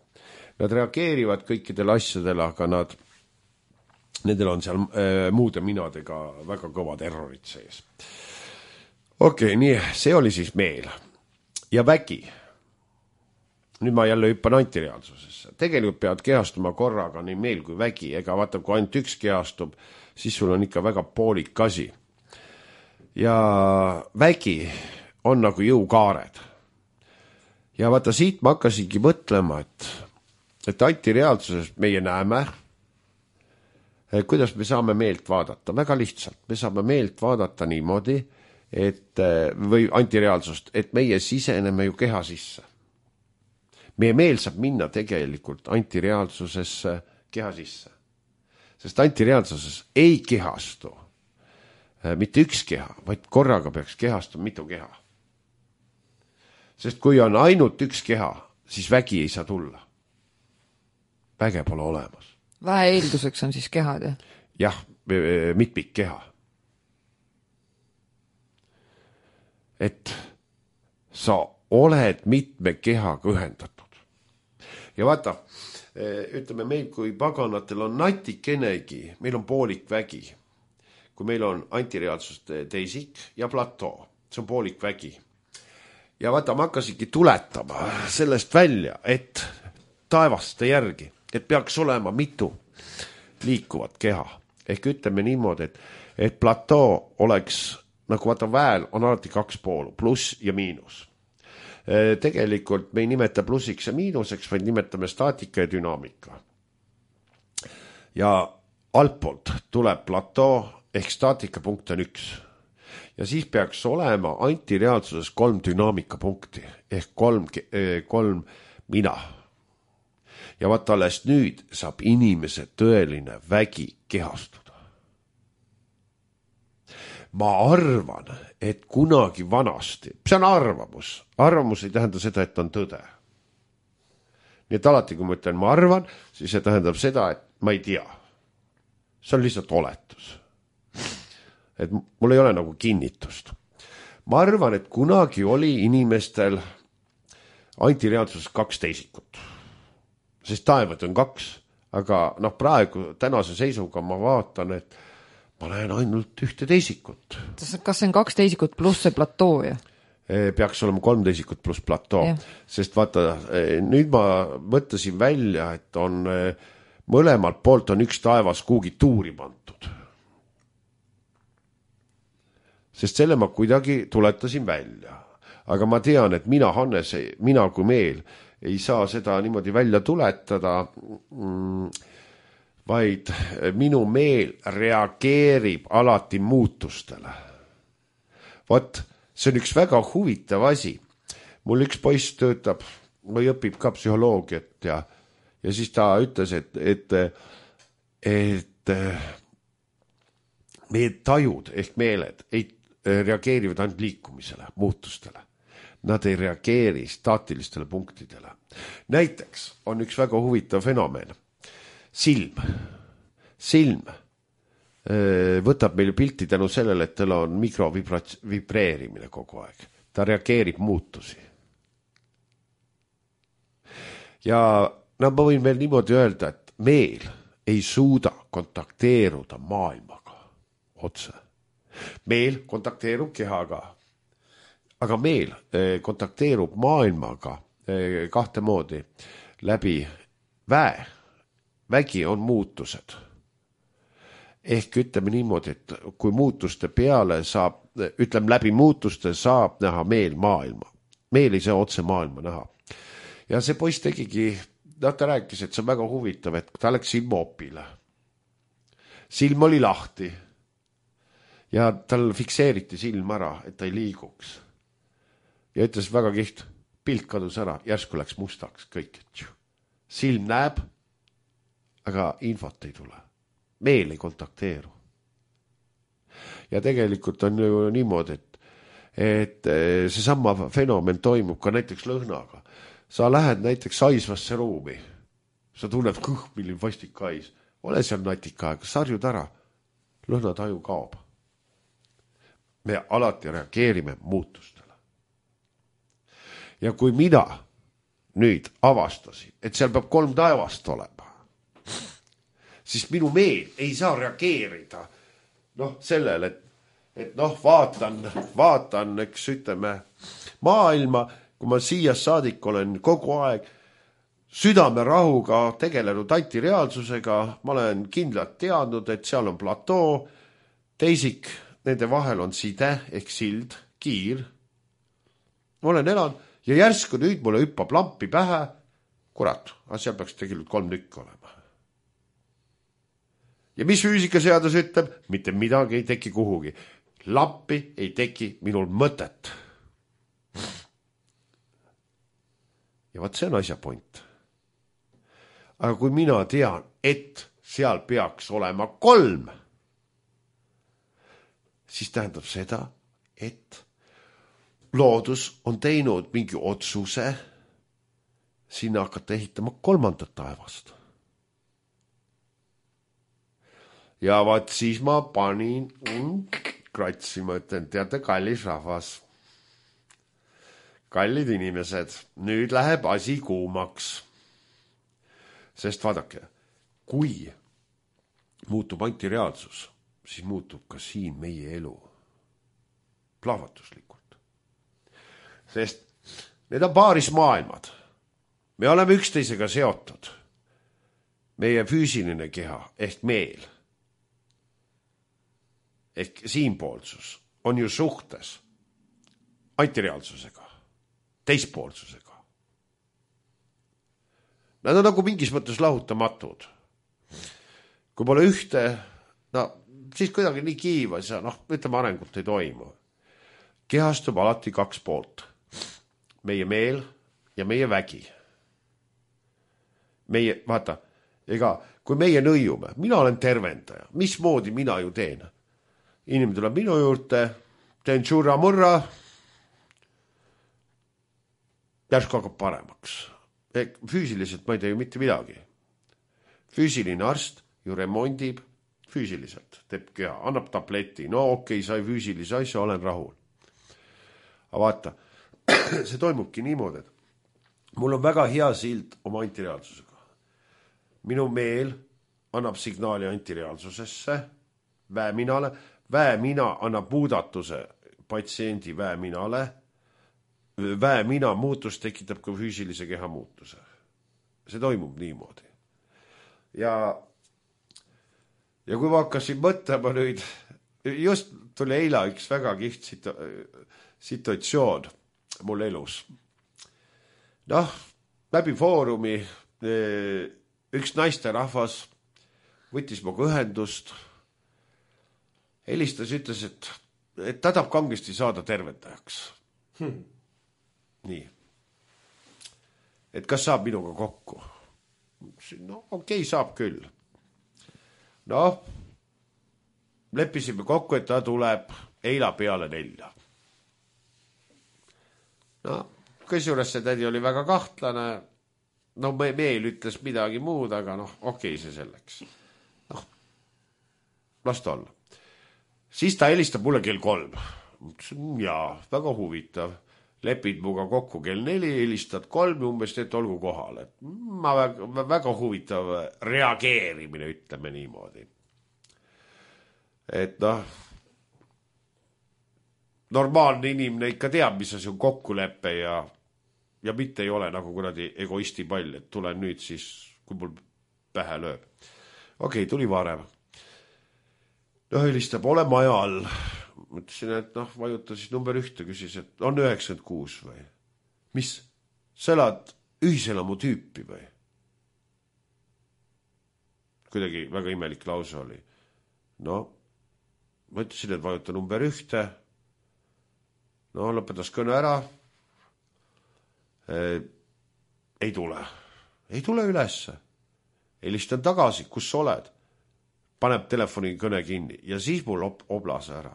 Nad reageerivad kõikidele asjadele, aga nad, nendel on seal muude minadega väga kõvad errorid sees. Okei, nii, see oli siis meel. Ja vägi. Nüüd ma jälle hüppan antireaalsusesse. Tegelikult peavad kehastuma korraga nii meel kui vägi. Ega vaata, kui ainult üks kehastub, siis sul on ikka väga poolik asi. Ja vägi on nagu jõukaared. Ja vaata, siit ma hakkasingi mõtlema, et, et antireaalsuses meie näeme, kuidas me saame meelt vaadata. Väga lihtsalt. Me saame meelt vaadata niimoodi, et, või antireaalsust, et meie siseneme ju keha sisse. Meie meel saab minna tegelikult antireaalsusesse keha sisse. Sest antireaalsuses ei kehastu mitte üks keha, vaid korraga peaks kehastuma mitu keha. Sest kui on ainult üks keha, siis vägi ei saa tulla. Väge pole olemas. Vähe eelduseks on siis kehad, jah? Jah, mitmik keha. Et sa oled mitme kehaga ühendatud. Ja vaata, ütleme meil, kui paganatel on natikenegi, meil on poolik vägi. Kui meil on antireaalsust teisik ja platoo, see on poolik vägi. Ja vaata, ma hakkasingi tuletama sellest välja, et taevaste järgi, et peaks olema mitu liikuvat keha. Ehk ütleme niimoodi, et, et platoo oleks nagu vaata väel on alati kaks poolu, pluss ja miinus. Tegelikult me ei nimeta plussiks ja miinuseks, vaid nimetame staatika ja dünaamika. Ja altpoolt tuleb platoo ehk staatikapunkt on üks. Ja siis peaks olema antireaalsuses kolm dünaamikapunkti ehk kolm, kolm mina. Ja vaata alles nüüd saab inimese tõeline vägi kehastuda. Ma arvan, et kunagi vanasti, see on arvamus, arvamus ei tähenda seda, et on tõde. Nii et alati, kui ma ütlen, ma arvan, siis see tähendab seda, et ma ei tea. See on lihtsalt oletus. Et mul ei ole nagu kinnitust. Ma arvan, et kunagi oli inimestel antireaalsuses kaks teisikut. Sest taevad on kaks, aga noh, praegu tänase seisuga ma vaatan, et ma näen ainult ühte teisikut. Kas see on kaks teisikut pluss see platoo? Ja? Peaks olema kolm teisikut pluss platoo. Ja. Sest vaata, nüüd ma mõtlesin välja, et on mõlemalt poolt on üks taevas kuugi tuuri pantud. Sest selle ma kuidagi tuletasin välja. Aga ma tean, et mina, Hannes, mina kui meel ei saa seda niimoodi välja tuletada, vaid minu meel reageerib alati muutustele. Vot, see on üks väga huvitav asi. Mul üks poiss töötab või õpib ka psühholoogiat ja, ja siis ta ütles, et, et, et meie tajud ehk meeled ei reageerivad ainult liikumisele, muutustele. Nad ei reageeri staatilistele punktidele. Näiteks on üks väga huvitav fenomen. Silm. Silm võtab meil pilti tänu sellele, et tal on mikrovibreerimine kogu aeg. Ta reageerib muutusi. Ja no, ma võin veel niimoodi öelda, et meel ei suuda kontakteeruda maailmaga otse. Meel kontakteerub kehaga. Aga meel kontakteerub maailmaga kahte moodi läbi väe. Vägi on muutused. Ehk ütleme niimoodi, et kui muutuste peale saab, ütleme läbi muutuste saab näha meel maailma. Meel ei saa otse maailma näha. Ja see poiss tegigi, ta rääkis, et see on väga huvitav, et ta läks silmaopile. Silm oli lahti. Ja tal fikseeriti silm ära, et ta ei liiguks. Ja ütles väga kiht, pilt kadus ära, järsku läks mustaks kõik. Silm näeb, aga infot ei tule. Meel ei kontakteeru. Ja tegelikult on ju niimoodi, et, et see sama fenomen toimub ka näiteks lõhnaga. Sa lähed näiteks haisvasse ruumi. Sa tunned kõh, milline vastik hais. Ole seal natika aega, sarjud ära. Lõhnataju kaob. Me alati reageerime muutustele. Ja kui mina nüüd avastasin, et seal peab kolm taevast olema, siis minu meel ei saa reageerida noh, sellele, et, et noh, vaatan, vaatan, eks ütleme, maailma, kui ma siia saadik olen kogu aeg südame rahuga tegelenud antireaalsusega, ma olen kindlalt teadnud, et seal on platoo, teisik, nende vahel on side ehk sild, kiir. Ma olen elanud ja järsku nüüd mulle hüppab lampi pähe, kurat, aga seal peaks tegelikult kolm nükk olema. Ja mis füüsikaseadus ütleb? Mitte midagi ei teki kuhugi. Lampi ei teki minul mõtet. Ja vaat see on asja point. Aga kui mina tean, et seal peaks olema kolm, siis tähendab seda, et loodus on teinud mingi otsuse sinna hakata ehitama kolmandat taevast. Ja vaat siis ma panin kratsima, ütlen, teate, kallis rahvas. Kallid inimesed, nüüd läheb asi kuumaks. Sest vaadake, kui muutub antireaalsus, siis muutub ka siin meie elu plahvatuslikult. Sest need on paaris maailmad. Me oleme üksteisega seotud. Meie füüsiline keha ehk meel ehk siinpoolsus on ju suhtes antireaalsusega, teispoolsusega. Nad on nagu mingis mõttes lahutamatud. Kui pole ühte, no siis kuidagi nii kiivas ja noh, ütleme arengut ei toimu. Kehastub alati kaks poolt. Meie meel ja meie vägi. Meie, vaata, ega kui meie nõiume, mina olen tervendaja, mismoodi mina ju teen? Inimene tuleb minu juurde, teen tšurra-murra, järsku hakkab paremaks. Füüsiliselt ma ei tee ju mitte midagi. Füüsiline arst ju remondib füüsiliselt, teeb keha, annab tableti, no okei, sai füüsilise asja, olen rahul. Aga vaata, see toimubki niimoodi, et mul on väga hea sild oma antireaalsusega. Minu meel annab signaali antireaalsusesse, väeminale, väemina annab muudatuse patsiendi väeminale, väemina muutus tekitab ka füüsilise keha muutuse. See toimub niimoodi. Ja, ja kui ma hakkasin mõtlema nüüd, just tuli eila üks väga kiht situ, situatsioon mul elus. Noh, läbi foorumi üks naisterahvas võttis muga ühendust, helistas, ütles, et, et ta tahab kangesti saada tervendajaks. Hmm. Nii. Et kas saab minuga kokku? No okei, saab küll. Noh, leppisime kokku, et ta tuleb eila peale nelja. No, kusjuures see tädi oli väga kahtlane. No me, meel ütles midagi muud, aga noh, okei see selleks. Noh, las ta olla. Siis ta helistab mulle kell kolm. Jaa, väga huvitav. Lepid muga kokku kell neli, helistad kolm ja umbes teed olgu kohal. Et ma väga, väga huvitav reageerimine, ütleme niimoodi. Et noh, normaalne inimene ikka teab, mis see on kokkuleppe ja, ja mitte ei ole nagu kuradi egoisti pall, et tulen nüüd siis, kui mul pähe lööb. Okei, tuli varem. No helistab, ole maja all. Mõtlesin, et noh, vajuta siis number ühte, küsis, et on üheksakümmend kuus või? Mis? Sa elad ühiselamu tüüpi või? Kuidagi väga imelik lause oli. No, ma ütlesin, et vajuta number ühte. No, lõpetas kõne ära. E, ei tule. Ei tule ülesse. Helistan tagasi, kus sa oled? Paneb telefoni kõne kinni ja siis mul ob- oblas ära.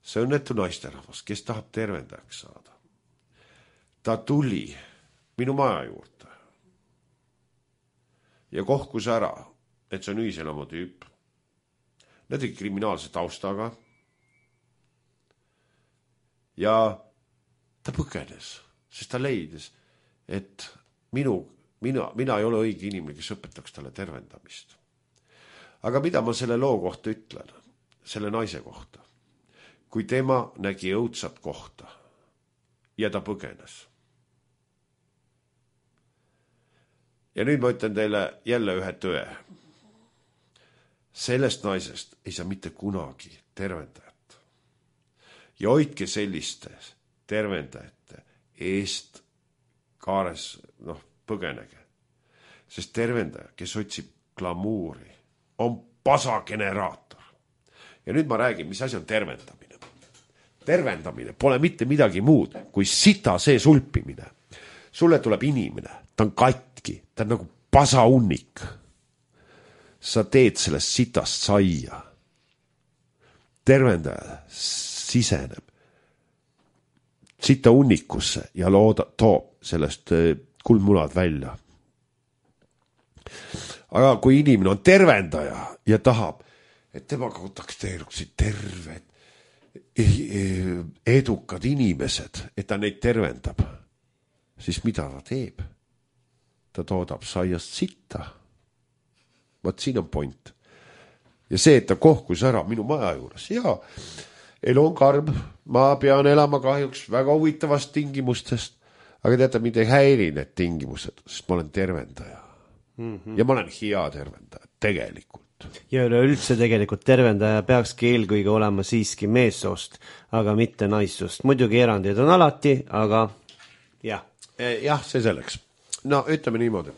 See on netu naisterahvas, kes tahab tervendajaks saada. Ta tuli minu maja juurde ja kohkus ära, et see on ühiselamu tüüp. Need olid kriminaalse taustaga ja ta põgenes, sest ta leidis, et minu, mina, mina ei ole õige inimene, kes õpetaks talle tervendamist. Aga mida ma selle loo kohta ütlen, selle naise kohta? Kui tema nägi õudsat kohta ja ta põgenes. Ja nüüd ma ütlen teile jälle ühe tõe. Sellest naisest ei saa mitte kunagi tervendajat. Ja hoidke selliste tervendajate eest kaares, noh, põgenege. Sest tervendaja, kes otsib glamuuri, on pasageneraator. Ja nüüd ma räägin, mis asi on tervendamine. Tervendamine pole mitte midagi muud kui sita see sulpimine. Sulle tuleb inimene, ta on katki, ta on nagu pasaunnik. Sa teed sellest sitast saia. Tervendaja siseneb sita unnikusse ja looda, toob sellest kuldmunad välja. Aga kui inimene on tervendaja ja tahab, et temaga kontakteeruksid terved, edukad inimesed, et ta neid tervendab, siis mida ta teeb? Ta toodab saiast sitta. Vaat siin on point. Ja see, et ta kohkus ära minu maja juures. Ja, elu on karm, ma pean elama kahjuks väga huvitavast tingimustest, aga teate, mind ei häiri need tingimused, sest ma olen tervendaja. Mm-hmm. Ja ma olen hea tervendaja, tegelikult. ja üleüldse tegelikult tervendaja peakski eelkõige olema siiski meessoost, aga mitte naissoost. Muidugi erandid on alati, aga jah. Jah, see selleks. No ütleme niimoodi.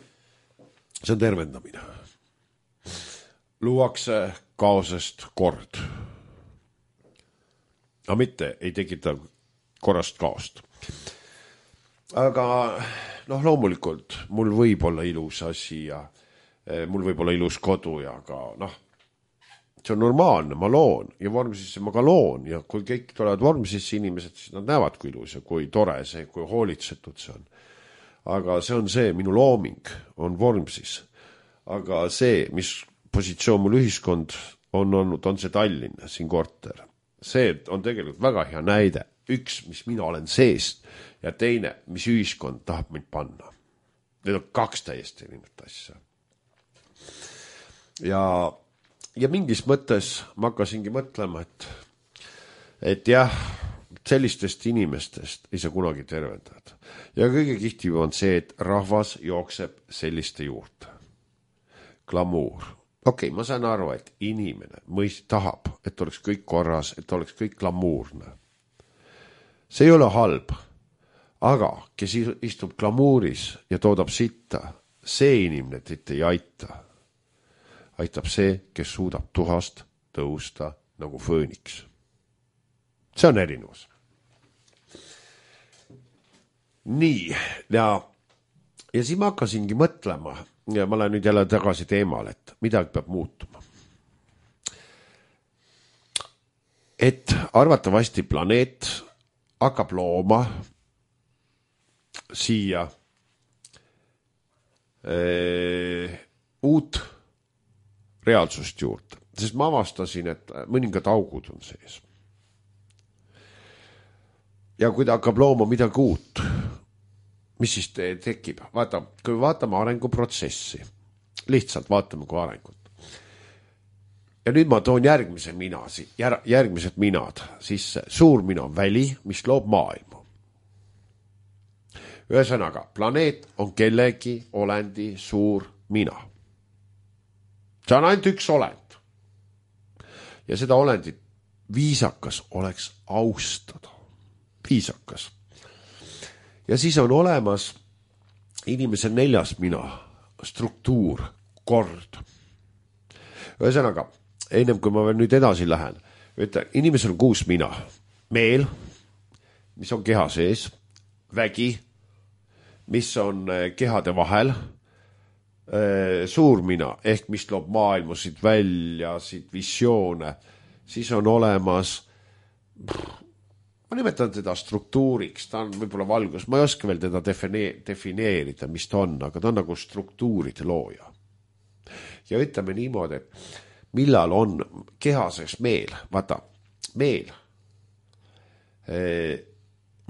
See on tervendamine. Luuakse kaosest kord. Aga mitte ei tekita korrast kaost. Aga noh, loomulikult mul võib olla ilus asi ja mul võib olla ilus kodu ja ka noh, see on normaalne, ma loon ja vormsisse ma ka loon ja kui kõik tulevad vormsisse inimesed, siis nad näevad kui ilus ja kui tore see, kui hoolitsetud see on. Aga see on see, minu looming on vormsis. Aga see, mis positsioon mul ühiskond on olnud, on see Tallinn, siin korter. See on tegelikult väga hea näide. Üks, mis mina olen seest ja teine, mis ühiskond tahab mind panna. Need on kaks täiesti erinevat asja. Ja, ja mingis mõttes ma hakkasingi mõtlema, et, et jah, sellistest inimestest ei saa kunagi tervendada. Ja kõige kihtiv on see, et rahvas jookseb selliste juurde. Glamuur. Okei, okay, ma saan aru, et inimene mõist tahab, et oleks kõik korras, et oleks kõik glamuurne. See ei ole halb, aga kes istub glamuuris ja toodab sitta, see inimene teid ei aita. Aitab see, kes suudab tuhast tõusta nagu fööniks. See on erinevus. Nii, ja, ja siis ma hakkasingi mõtlema, ja ma lähen nüüd jälle tagasi teemal, et midagi peab muutuma. Et arvatavasti planeet hakkab looma siia ee, uut reaalsust juurde, sest ma avastasin, et mõningad augud on sees. Ja kui ta hakkab looma midagi uut, mis siis te tekib? Vaata, kui vaatame arenguprotsessi, lihtsalt vaatame kui arengut. Ja nüüd ma toon järgmise mina, järgmised minad sisse. Suur mina on väli, mis loob maailma. Ühesõnaga, planeet on kellegi olendi suur mina. See on ainult üks olend. Ja seda olendit viisakas oleks austada. Viisakas. Ja siis on olemas inimese neljas mina, struktuur, kord. Ühesõnaga, ennem kui ma veel nüüd edasi lähen, ütlen, inimesel on kuus mina. Meel, mis on keha sees, vägi, mis on kehade vahel, suur mina, ehk mis loob maailmusid välja, siit visioone, siis on olemas, ma nimetan teda struktuuriks, ta on võib-olla valgus, ma ei oska veel teda defineerida, mis ta on, aga ta on nagu struktuuride looja. Ja ütleme niimoodi, et millal on kehases meel, vaata, meel,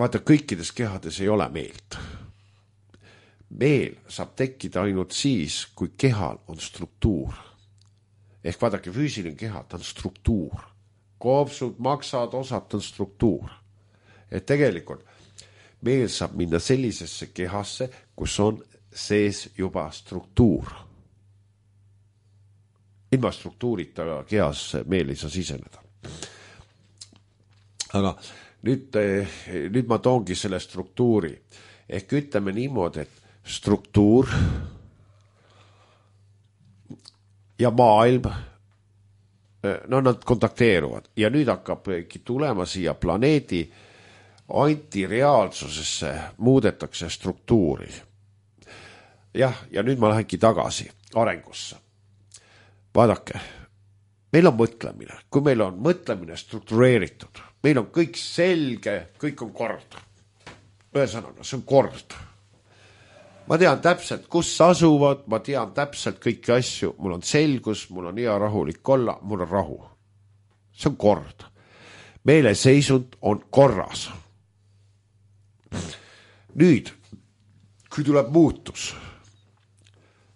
vaata, kõikides kehades ei ole meelt. Meel saab tekkida ainult siis, kui kehal on struktuur. Ehk vaadake, füüsiline keha, ta on struktuur. Koopsud, maksad, osad on struktuur. Et tegelikult meel saab minna sellisesse kehasse, kus on sees juba struktuur. Ilma struktuurita kehasse meel ei saa siseneda. Aga nüüd, nüüd ma toongi selle struktuuri. Ehk ütleme niimoodi, et struktuur ja maailm, no nad kontakteeruvad ja nüüd hakkabki tulema siia planeedi antireaalsusesse, muudetakse struktuuri. Jah, ja nüüd ma lähengi tagasi arengusse. Vaadake, meil on mõtlemine, kui meil on mõtlemine struktureeritud, meil on kõik selge, kõik on kord. Ühesõnaga, see on kord. Ma tean täpselt, kus asuvad, ma tean täpselt kõiki asju, mul on selgus, mul on hea rahulik olla, mul on rahu. See on kord. Meele seisund on korras. Nüüd, kui tuleb muutus,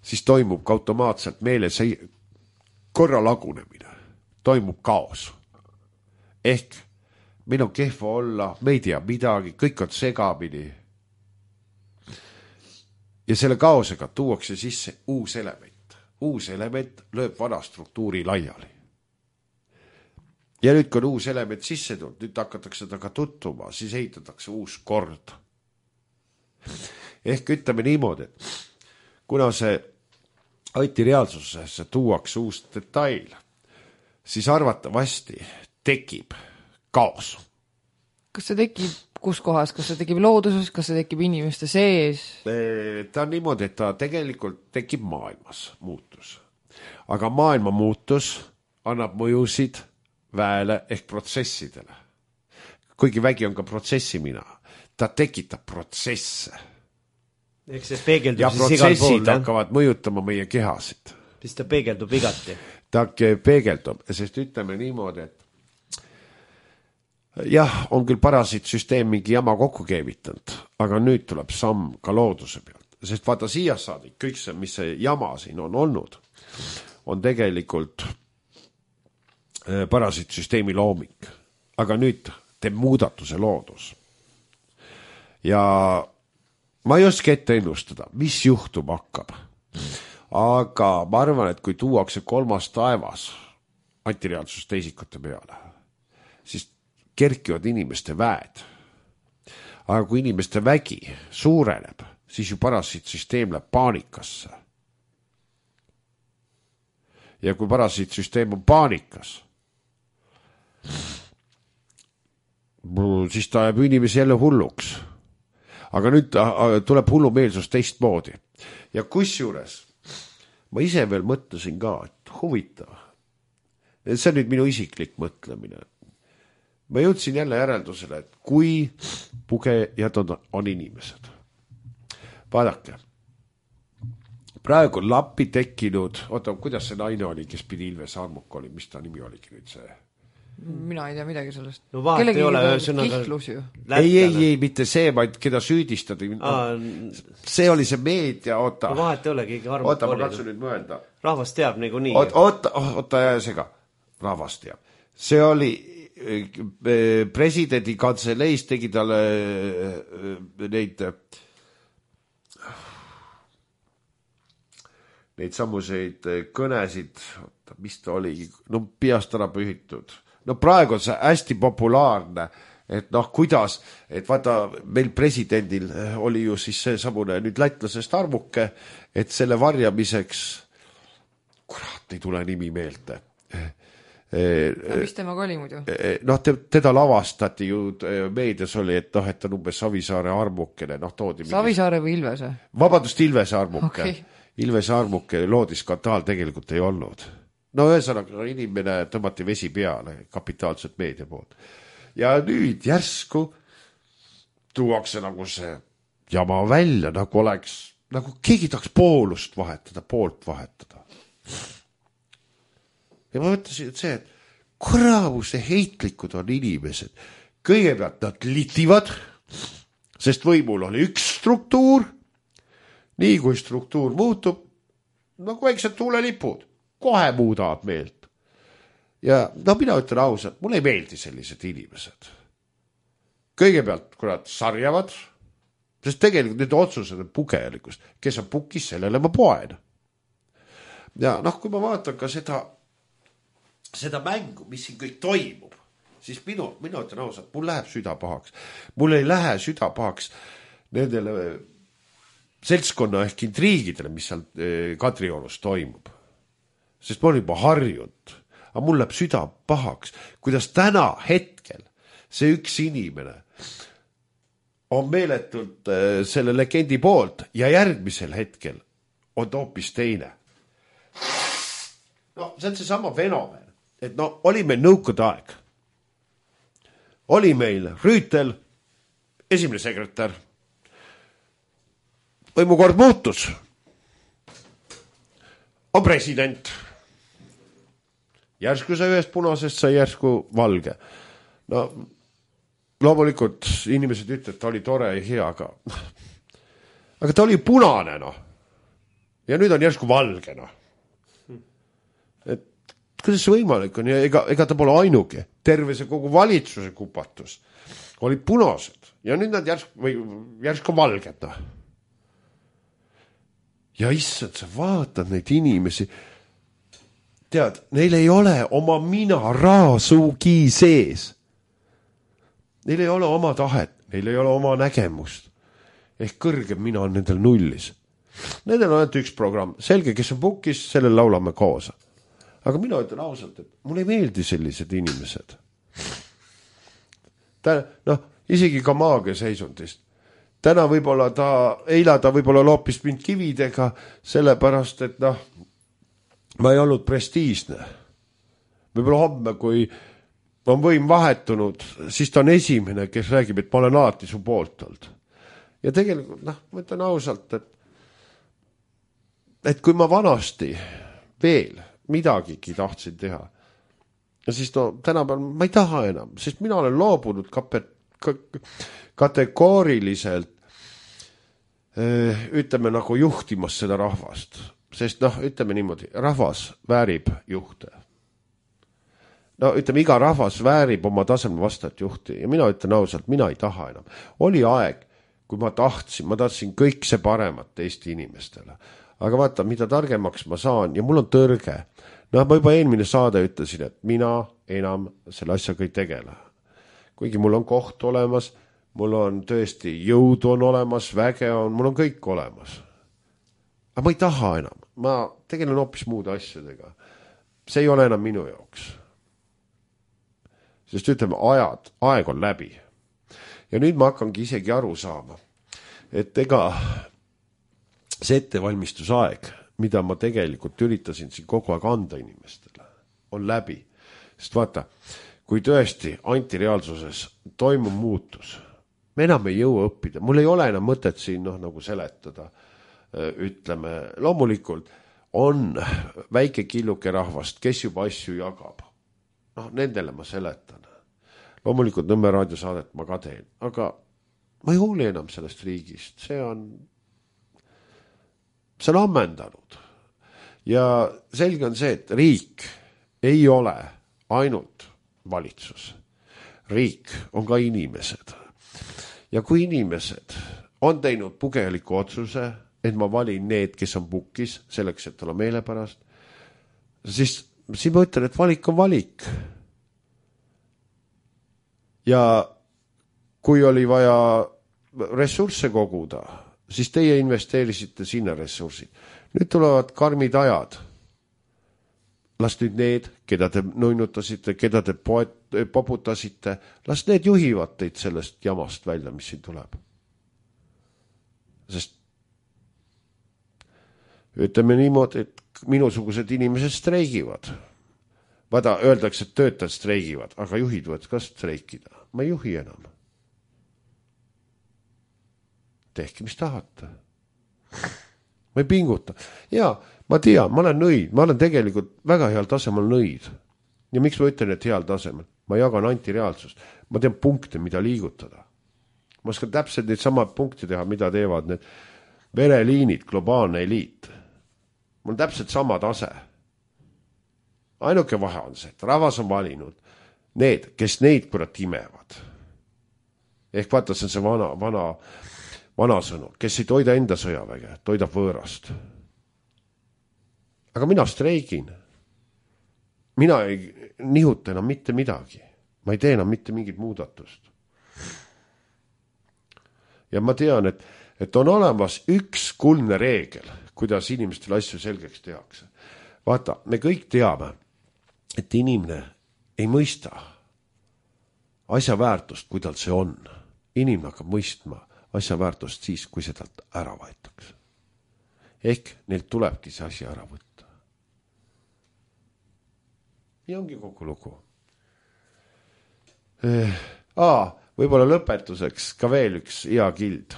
siis toimub ka automaatselt meele see korra lagunemine, toimub kaos. Ehk meil on kehva olla, me ei tea midagi, kõik on segamini. Ja selle kaosega tuuakse sisse uus element. uus element lööb vana struktuuri laiali. Ja nüüd, kui on uus element sisse tulnud, nüüd hakatakse temaga tuttuma, siis ehitatakse uus kord. Ehk ütleme niimoodi, kuna see Anti reaalsusesse tuuakse uus detail, siis arvatavasti tekib kaos. Kas see tekib kus kohas, kas see tekib looduses, kas see tekib inimeste sees? Ta on niimoodi, et ta tegelikult tekib maailmas muutus. Aga maailma muutus annab mõjusid väele ehk protsessidele. Kuigi vägi on ka protsessimina, ta tekitab protsesse. Eks see peegeldub ja siis igal pool. Ja protsessid hakkavad mõjutama meie kehasid. Siis ta peegeldub igati. Ta peegeldub, sest ütleme niimoodi, et jah, on küll parasiitsüsteem mingi jama kokku keevitanud, aga nüüd tuleb samm ka looduse pealt. Sest vaata siia saadi, kõik see, mis see jama siin on olnud, on tegelikult parasiitsüsteemi looming. Aga nüüd teeb muudatuse loodus. Ja ma ei oska ette ennustada, mis juhtub hakkab. Aga ma arvan, et kui tuuakse kolmas taevas antireaalsus teisikute peale, siis kerkivad inimeste väed. Aga kui inimeste vägi suureneb, siis ju parasiitsüsteem läheb paanikasse. Ja kui parasiitsüsteem on paanikas, siis ta jääb inimesi jälle hulluks. Aga nüüd tuleb hullumeelsus teistmoodi. Ja kusjuures ma ise veel mõtlesin ka, et huvitav. See on nüüd minu isiklik mõtlemine. Ma jõudsin jälle järeldusele, et kui pugejad on, on inimesed. Vaadake, praegu on lappi tekkinud, oota, kuidas see naine oli, kes pidi Ilves Armuk oli, mis ta nimi oligi nüüd see? Mina ei tea midagi sellest. No vaat Kellegi ei ole kihlus ju. Ei, ei, ei, mitte see, vaid keda süüdistati. Aa, see oli see meedia, oota. No vahet ei ole, keegi Armuk oota, oli. Oota, ma katsun nüüd mõelda. Rahvas teab nagu nii. Oota, oota, oota ja sega. Rahvas teab. See oli presidendi kantseleis tegi talle neid neid sammuseid kõnesid, oota, mis ta oli, no peast ära pühitud. No praegu on see hästi populaarne, et noh, kuidas, et vaata, meil presidendil oli ju siis see samune nüüd lätlasest Armuke, et selle varjamiseks, kurat, ei tule nimi meelde. Ja mis temaga oli muidu? Noh, teda lavastati ju meedias oli, et noh, et on umbes Savisaare Armukene, noh, toodi Savisaare või Ilvese? Vabandust, Ilvese Armuke. Okay. Ilvese Armuke loodiskantaal tegelikult ei olnud. No ühesõnaga inimene tõmmati vesi peale kapitaalselt meedia poolt. Ja nüüd järsku tuuakse nagu see jama välja, nagu oleks, nagu keegi tahaks poolust vahetada, poolt vahetada. Ja ma mõtlesin, et see, et kuravuse heitlikud on inimesed. Kõigepealt nad litivad, sest võimul oli üks struktuur, nii kui struktuur muutub, nagu väiksed tuulelipud, kohe muudavad meelt. Ja no mina ütlen ausalt, mulle ei meeldi sellised inimesed. Kõigepealt, kui nad sarjavad, sest tegelikult need otsused on pugelikust, kes on pukis, sellele ma poen. Ja noh, kui ma vaatan ka seda seda mängu, mis siin kõik toimub, siis minu, minu ütlen ausalt, mul läheb süda pahaks. Mul ei lähe süda pahaks nendele seltskonna ehk intriigidele, mis seal Kadriorus toimub. Sest ma olen juba harjunud, aga mul läheb süda pahaks, kuidas täna hetkel see üks inimene on meeletult selle legendi poolt ja järgmisel hetkel on ta hoopis teine. No, see on see sama fenomen, et no, oli meil nõukogude aeg. Oli meil Rüütel, esimene sekretär. Võimukord muutus. On president. Järsku sai ühest punasest, sai järsku valge. No, loomulikult inimesed ütlevad, et ta oli tore ja hea, aga, aga ta oli punane, no. Ja nüüd on järsku valge, no. Et kuidas see võimalik on? Ja ega, ega ta pole ainuke. Terve see kogu valitsuse kupatus olid punased. Ja nüüd nad järsku, või järsku valged, no. ja issand, sa vaatad neid inimesi, tead, neil ei ole oma mina raasugi sees. Neil ei ole oma tahet, neil ei ole oma nägemust. Ehk kõrgem mina on nendel nullis. Nendel on ainult üks programm. Selge, kes on pukis, sellel laulame koos. Aga mina ütlen ausalt, et mulle ei meeldi sellised inimesed. Ta, noh, isegi ka maagia seisundist. Täna võib-olla ta, eila ta võib-olla loopis mind kividega, sellepärast, et noh, ma ei olnud prestiisne. Võib-olla homme, kui on võim vahetunud, siis ta on esimene, kes räägib, et ma olen alati su poolt olnud. Ja tegelikult, noh, ma ütlen ausalt, et, et kui ma vanasti veel midagigi tahtsin teha, ja siis no tänapäeval ma ei taha enam, sest mina olen loobunud kape, kategooriliselt ütleme nagu juhtimas seda rahvast. Sest noh, ütleme niimoodi, rahvas väärib juhte. No ütleme, iga rahvas väärib oma tasemel vastajat juhti ja mina ütlen ausalt, mina ei taha enam. Oli aeg, kui ma tahtsin, ma tahtsin kõik see paremat Eesti inimestele. Aga vaata, mida targemaks ma saan ja mul on tõrge. No ma juba eelmine saade ütlesin, et mina enam selle asjaga ei tegele. Kuigi mul on koht olemas, mul on tõesti jõud on olemas, väge on, mul on kõik olemas. Aga ma ei taha enam. Ma tegelen hoopis muude asjadega. See ei ole enam minu jaoks. Sest ütleme, ajad, aeg on läbi. Ja nüüd ma hakkangi isegi aru saama, et ega see ettevalmistusaeg, mida ma tegelikult üritasin siin kogu aeg anda inimestele, on läbi. Sest vaata, kui tõesti antireaalsuses toimub muutus, me enam ei jõua õppida. Mul ei ole enam mõtet siin noh, nagu seletada. Ütleme, loomulikult on väike killuke rahvast, kes juba asju jagab. noh, nendele ma seletan. Loomulikult Nõmme raadiosaadet ma ka teen, aga ma ei hooli enam sellest riigist, see on, see on ammendanud. Ja selge on see, et riik ei ole ainult valitsus. Riik on ka inimesed. Ja kui inimesed on teinud pugeliku otsuse, et ma valin need, kes on pukis, selleks, et olla meelepärast, siis, siis ma ütlen, et valik on valik. Ja kui oli vaja ressursse koguda, siis teie investeerisite sinna ressursid. Nüüd tulevad karmid ajad. Las nüüd need, keda te nõinutasite, keda te poet, poputasite, las need juhivad teid sellest jamast välja, mis siin tuleb. Sest ütleme niimoodi, et minusugused inimesed streigivad. Vada, öeldakse, et töötajad streigivad, aga juhid võivad ka streikida. Ma ei juhi enam. Tehke, mis tahate. Ma ei pinguta. Ja, ma tean, ma olen nõid. Ma olen tegelikult väga heal tasemel nõid. Ja miks ma ütlen, et heal tasemel? Ma jagan antireaalsust. Ma tean punkte, mida liigutada. Ma oskan täpselt neid sama punkte teha, mida teevad need vereliinid, globaalne eliit. Mul on täpselt sama tase. Ainuke vahe on see, et rahvas on valinud need, kes neid kurat imevad. Ehk vaata, see on see vana, vana, vana sõnu, kes ei toida enda sõjaväge, toidab võõrast. Aga mina streigin. Mina ei nihuta enam mitte midagi. Ma ei tee enam mitte mingit muudatust. Ja ma tean, et, et on olemas üks kuldne reegel, kuidas inimestele asju selgeks tehakse. Vaata, me kõik teame, et inimene ei mõista asja väärtust, kui tal see on. Inimene hakkab mõistma asja väärtust siis, kui see talt ära võetakse. Ehk neilt tulebki see asi ära võtta. Ja ongi kogu lugu. Eh, aa, võib-olla lõpetuseks ka veel üks hea kild.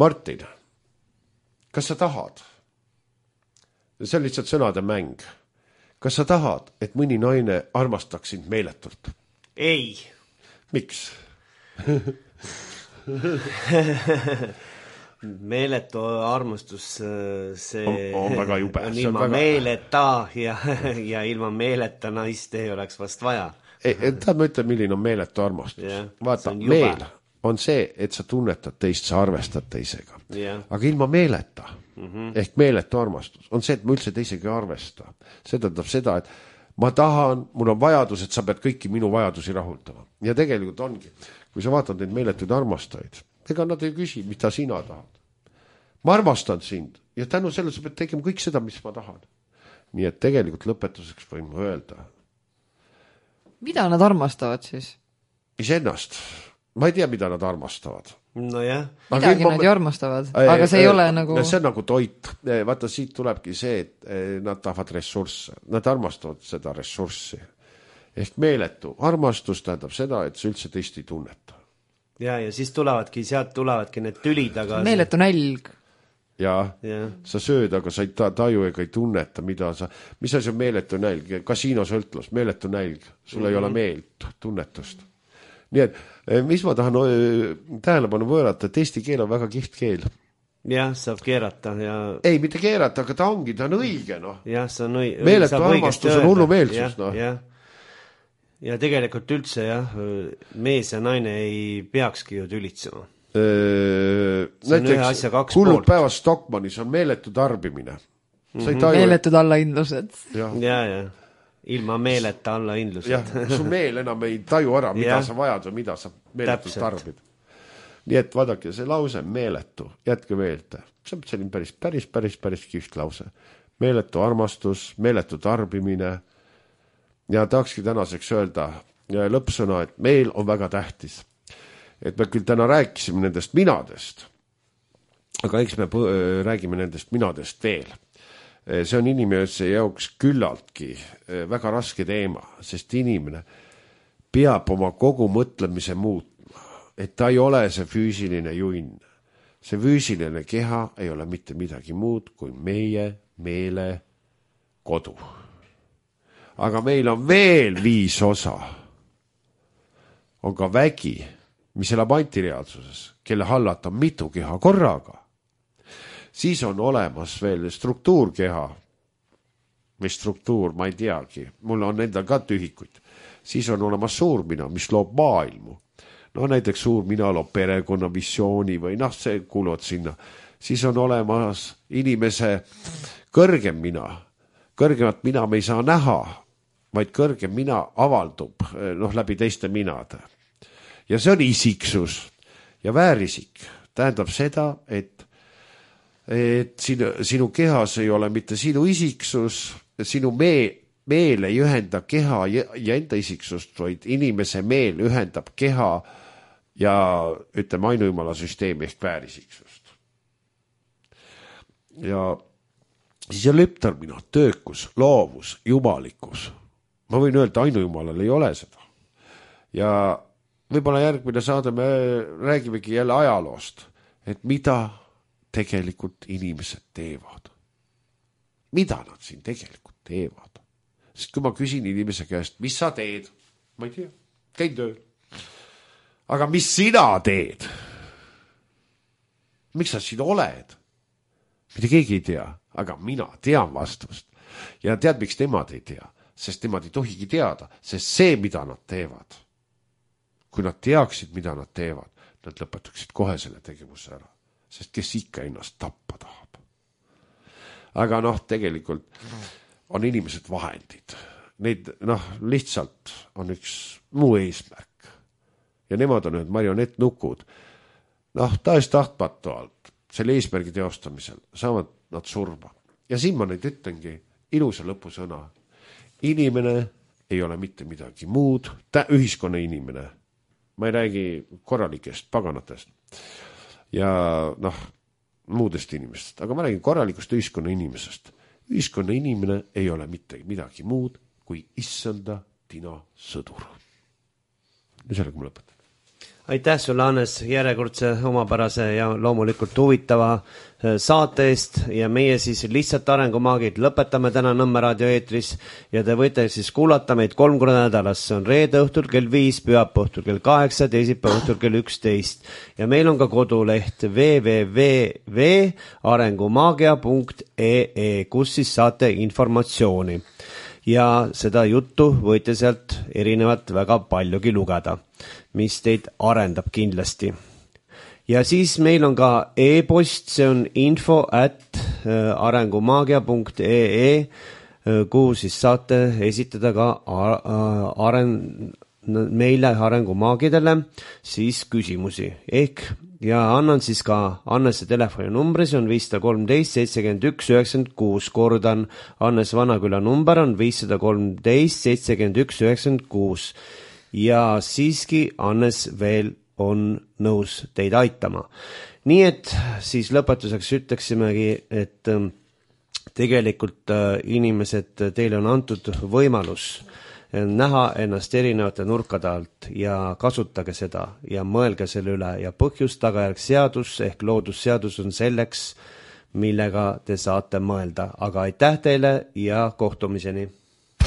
Martin, kas sa tahad? See on lihtsalt sõnade mäng. Kas sa tahad, et mõni naine armastaks sind meeletult? Ei. Miks? Meeletu armastus, see on, on väga jube. On ilma väga... meeleta ja, ja ilma meeleta naist ei oleks vast vaja. Ei, tahad ma ütlen, milline on meeletu armastus? Yeah, vaata, on meel on see, et sa tunnetad teist, sa arvestad teisega. Yeah. Aga ilma meeleta mm-hmm. ehk meeletu armastus on see, et ma üldse teisegi arvesta. See tähendab seda, et ma tahan, mul on vajadus, et sa pead kõiki minu vajadusi rahuldama. Ja tegelikult ongi, kui sa vaatad neid meeletuid armastajaid, ega nad ei küsi, mida sina tahad. Ma armastan sind ja tänu selle sa pead tegema kõik seda, mis ma tahan. Nii et tegelikult lõpetuseks võin ma öelda. Mida nad armastavad siis? Isennast. Ma ei tea, mida nad armastavad. No jah. Midagi nad ju armastavad, aga see ei ole nagu... See on nagu toit. Vaata, siit tulebki see, et nad tahavad ressursse. Nad armastavad seda ressurssi. Ehk meeletu. Armastus tähendab seda, et sa üldse teist ei tunneta. Ja, ja siis tulevadki, sealt tulevadki need tülid, aga... Meeletu nälg. Ja, ja, sa sööd, aga sa ei taju ega ei tunneta, mida sa... Mis asi on meeletu nälg? Kasiinosõltlus, meeletu nälg. Sul mm-hmm. ei ole meelt, tunnetust. Nii et, mis ma tahan tähelepanu võõrata, et eesti keel on väga kiht keel. Jah, saab keerata ja... Ei, mitte keerata, aga ta ongi, ta on õige, noh. Jah, see on õige. Meeletu armastus on hullu meelsus, noh. Jah. Ja tegelikult üldse, jah, mees ja naine ei peakski ju tülitsema. Näiteks hullud päevas Stockmannis on meeletu tarbimine. Mm-hmm. Taju... Meeletud allahindlused. Ja, ja, ja. Ilma meeleta allahindlused. Jah, su meel enam ei taju ära, mida sa vajad või mida sa meeletult tarbid. Nii et vaadake, see lause on meeletu, jätke meelde. See on selline päris, päris, päris, päris kiht lause. Meeletu armastus, meeletu tarbimine. Ja tahakski tänaseks öelda lõppsõna, et meil on väga tähtis. Et me küll täna rääkisime nendest minadest, aga eks me räägime nendest minadest veel. See on inimese jaoks küllaltki väga raske teema, sest inimene peab oma kogu mõtlemise muutma, et ta ei ole see füüsiline junn. See füüsiline keha ei ole mitte midagi muud kui meie meele kodu. Aga meil on veel viis osa. On ka vägi, mis elab antireaalsuses, kelle hallata on mitu keha korraga. Siis on olemas veel struktuurkeha või struktuur, ma ei teagi, mul on endal ka tühikuid. Siis on olemas suurmina, mis loob maailmu. No näiteks suurmina loob perekonna visiooni või noh, see kuuluvad sinna. Siis on olemas inimese kõrgem mina. Kõrgemat mina me ei saa näha, vaid kõrgem mina avaldub noh, läbi teiste minade. Ja see on isiksus ja väärisik. Tähendab seda, et, et sinu, sinu kehas ei ole mitte sinu isiksus, sinu mee, meel ei ühenda keha ja, ja enda isiksust, vaid inimese meel ühendab keha ja ütleme ainujumala süsteemi ehk väärisiksust. Ja siis on leptarmina, töökus, loovus, jumalikkus. Ma võin öelda, ainujumalal ei ole seda. Ja võib-olla järgmine saade me räägimegi jälle ajaloost, et mida tegelikult inimesed teevad. Mida nad siin tegelikult teevad? Sest kui ma küsin inimese käest, mis sa teed? Ma ei tea, käin tööl. Aga mis sina teed? Miks sa siin oled? Mitte keegi ei tea, aga mina tean vastust. Ja tead, miks temad ei tea? Sest nemad ei tohigi teada, sest see, mida nad teevad, kui nad teaksid, mida nad teevad, nad lõpetaksid kohe selle tegevuse ära, sest kes ikka ennast tappa tahab. Aga noh, tegelikult on inimesed vahendid. Neid, noh, lihtsalt on üks muu eesmärk. Ja nemad on need marionettnukud. Noh, taes tahtmatult selle eesmärgi teostamisel saavad nad surma. Ja siin ma neid ütlengi ilusa lõpusõna. Inimene ei ole mitte midagi muud, ta ühiskonna inimene. Ma ei räägi korralikest paganatest ja noh, muudest inimestest, aga ma räägin korralikust ühiskonna inimesest. Ühiskonna inimene ei ole mitte midagi muud kui issanda tina sõdur. Ja sellega ma lõpetan. Aitäh sulle, Hannes, järjekordse omapärase ja loomulikult huvitava saate eest ja meie siis lihtsalt arengumaagid lõpetame täna Nõmme raadio eetris ja te võite siis kuulata meid kolm korda nädalas. See on reede õhtul kell viis, pühapäeva õhtul kell kaheksa, teisipäeva õhtul kell üksteist ja meil on ka koduleht w w w punkt arengumaagia punkt e e, kus siis saate informatsiooni ja seda juttu võite sealt erinevat väga paljugi lugeda, mis teid arendab kindlasti. Ja siis meil on ka e-post, see on info at arengumaagia punkt ee, kuhu siis saate esitada ka aren- meile arengumaagidele siis küsimusi ehk ja annan siis ka Annese telefoninumbri, see on viissada kolmteist seitsekümmend üks üheksakümmend kuus, kordan, Annes Vanaküla number on viissada kolmteist seitsekümmend üks üheksakümmend kuus ja siiski Annes veel on nõus teid aitama. Nii et siis lõpetuseks ütleksimegi, et tegelikult inimesed, teile on antud võimalus näha ennast erinevate nurkade alt ja kasutage seda ja mõelge selle üle ja põhjus tagajärg seadus ehk loodusseadus on selleks, millega te saate mõelda. Aga aitäh teile ja kohtumiseni!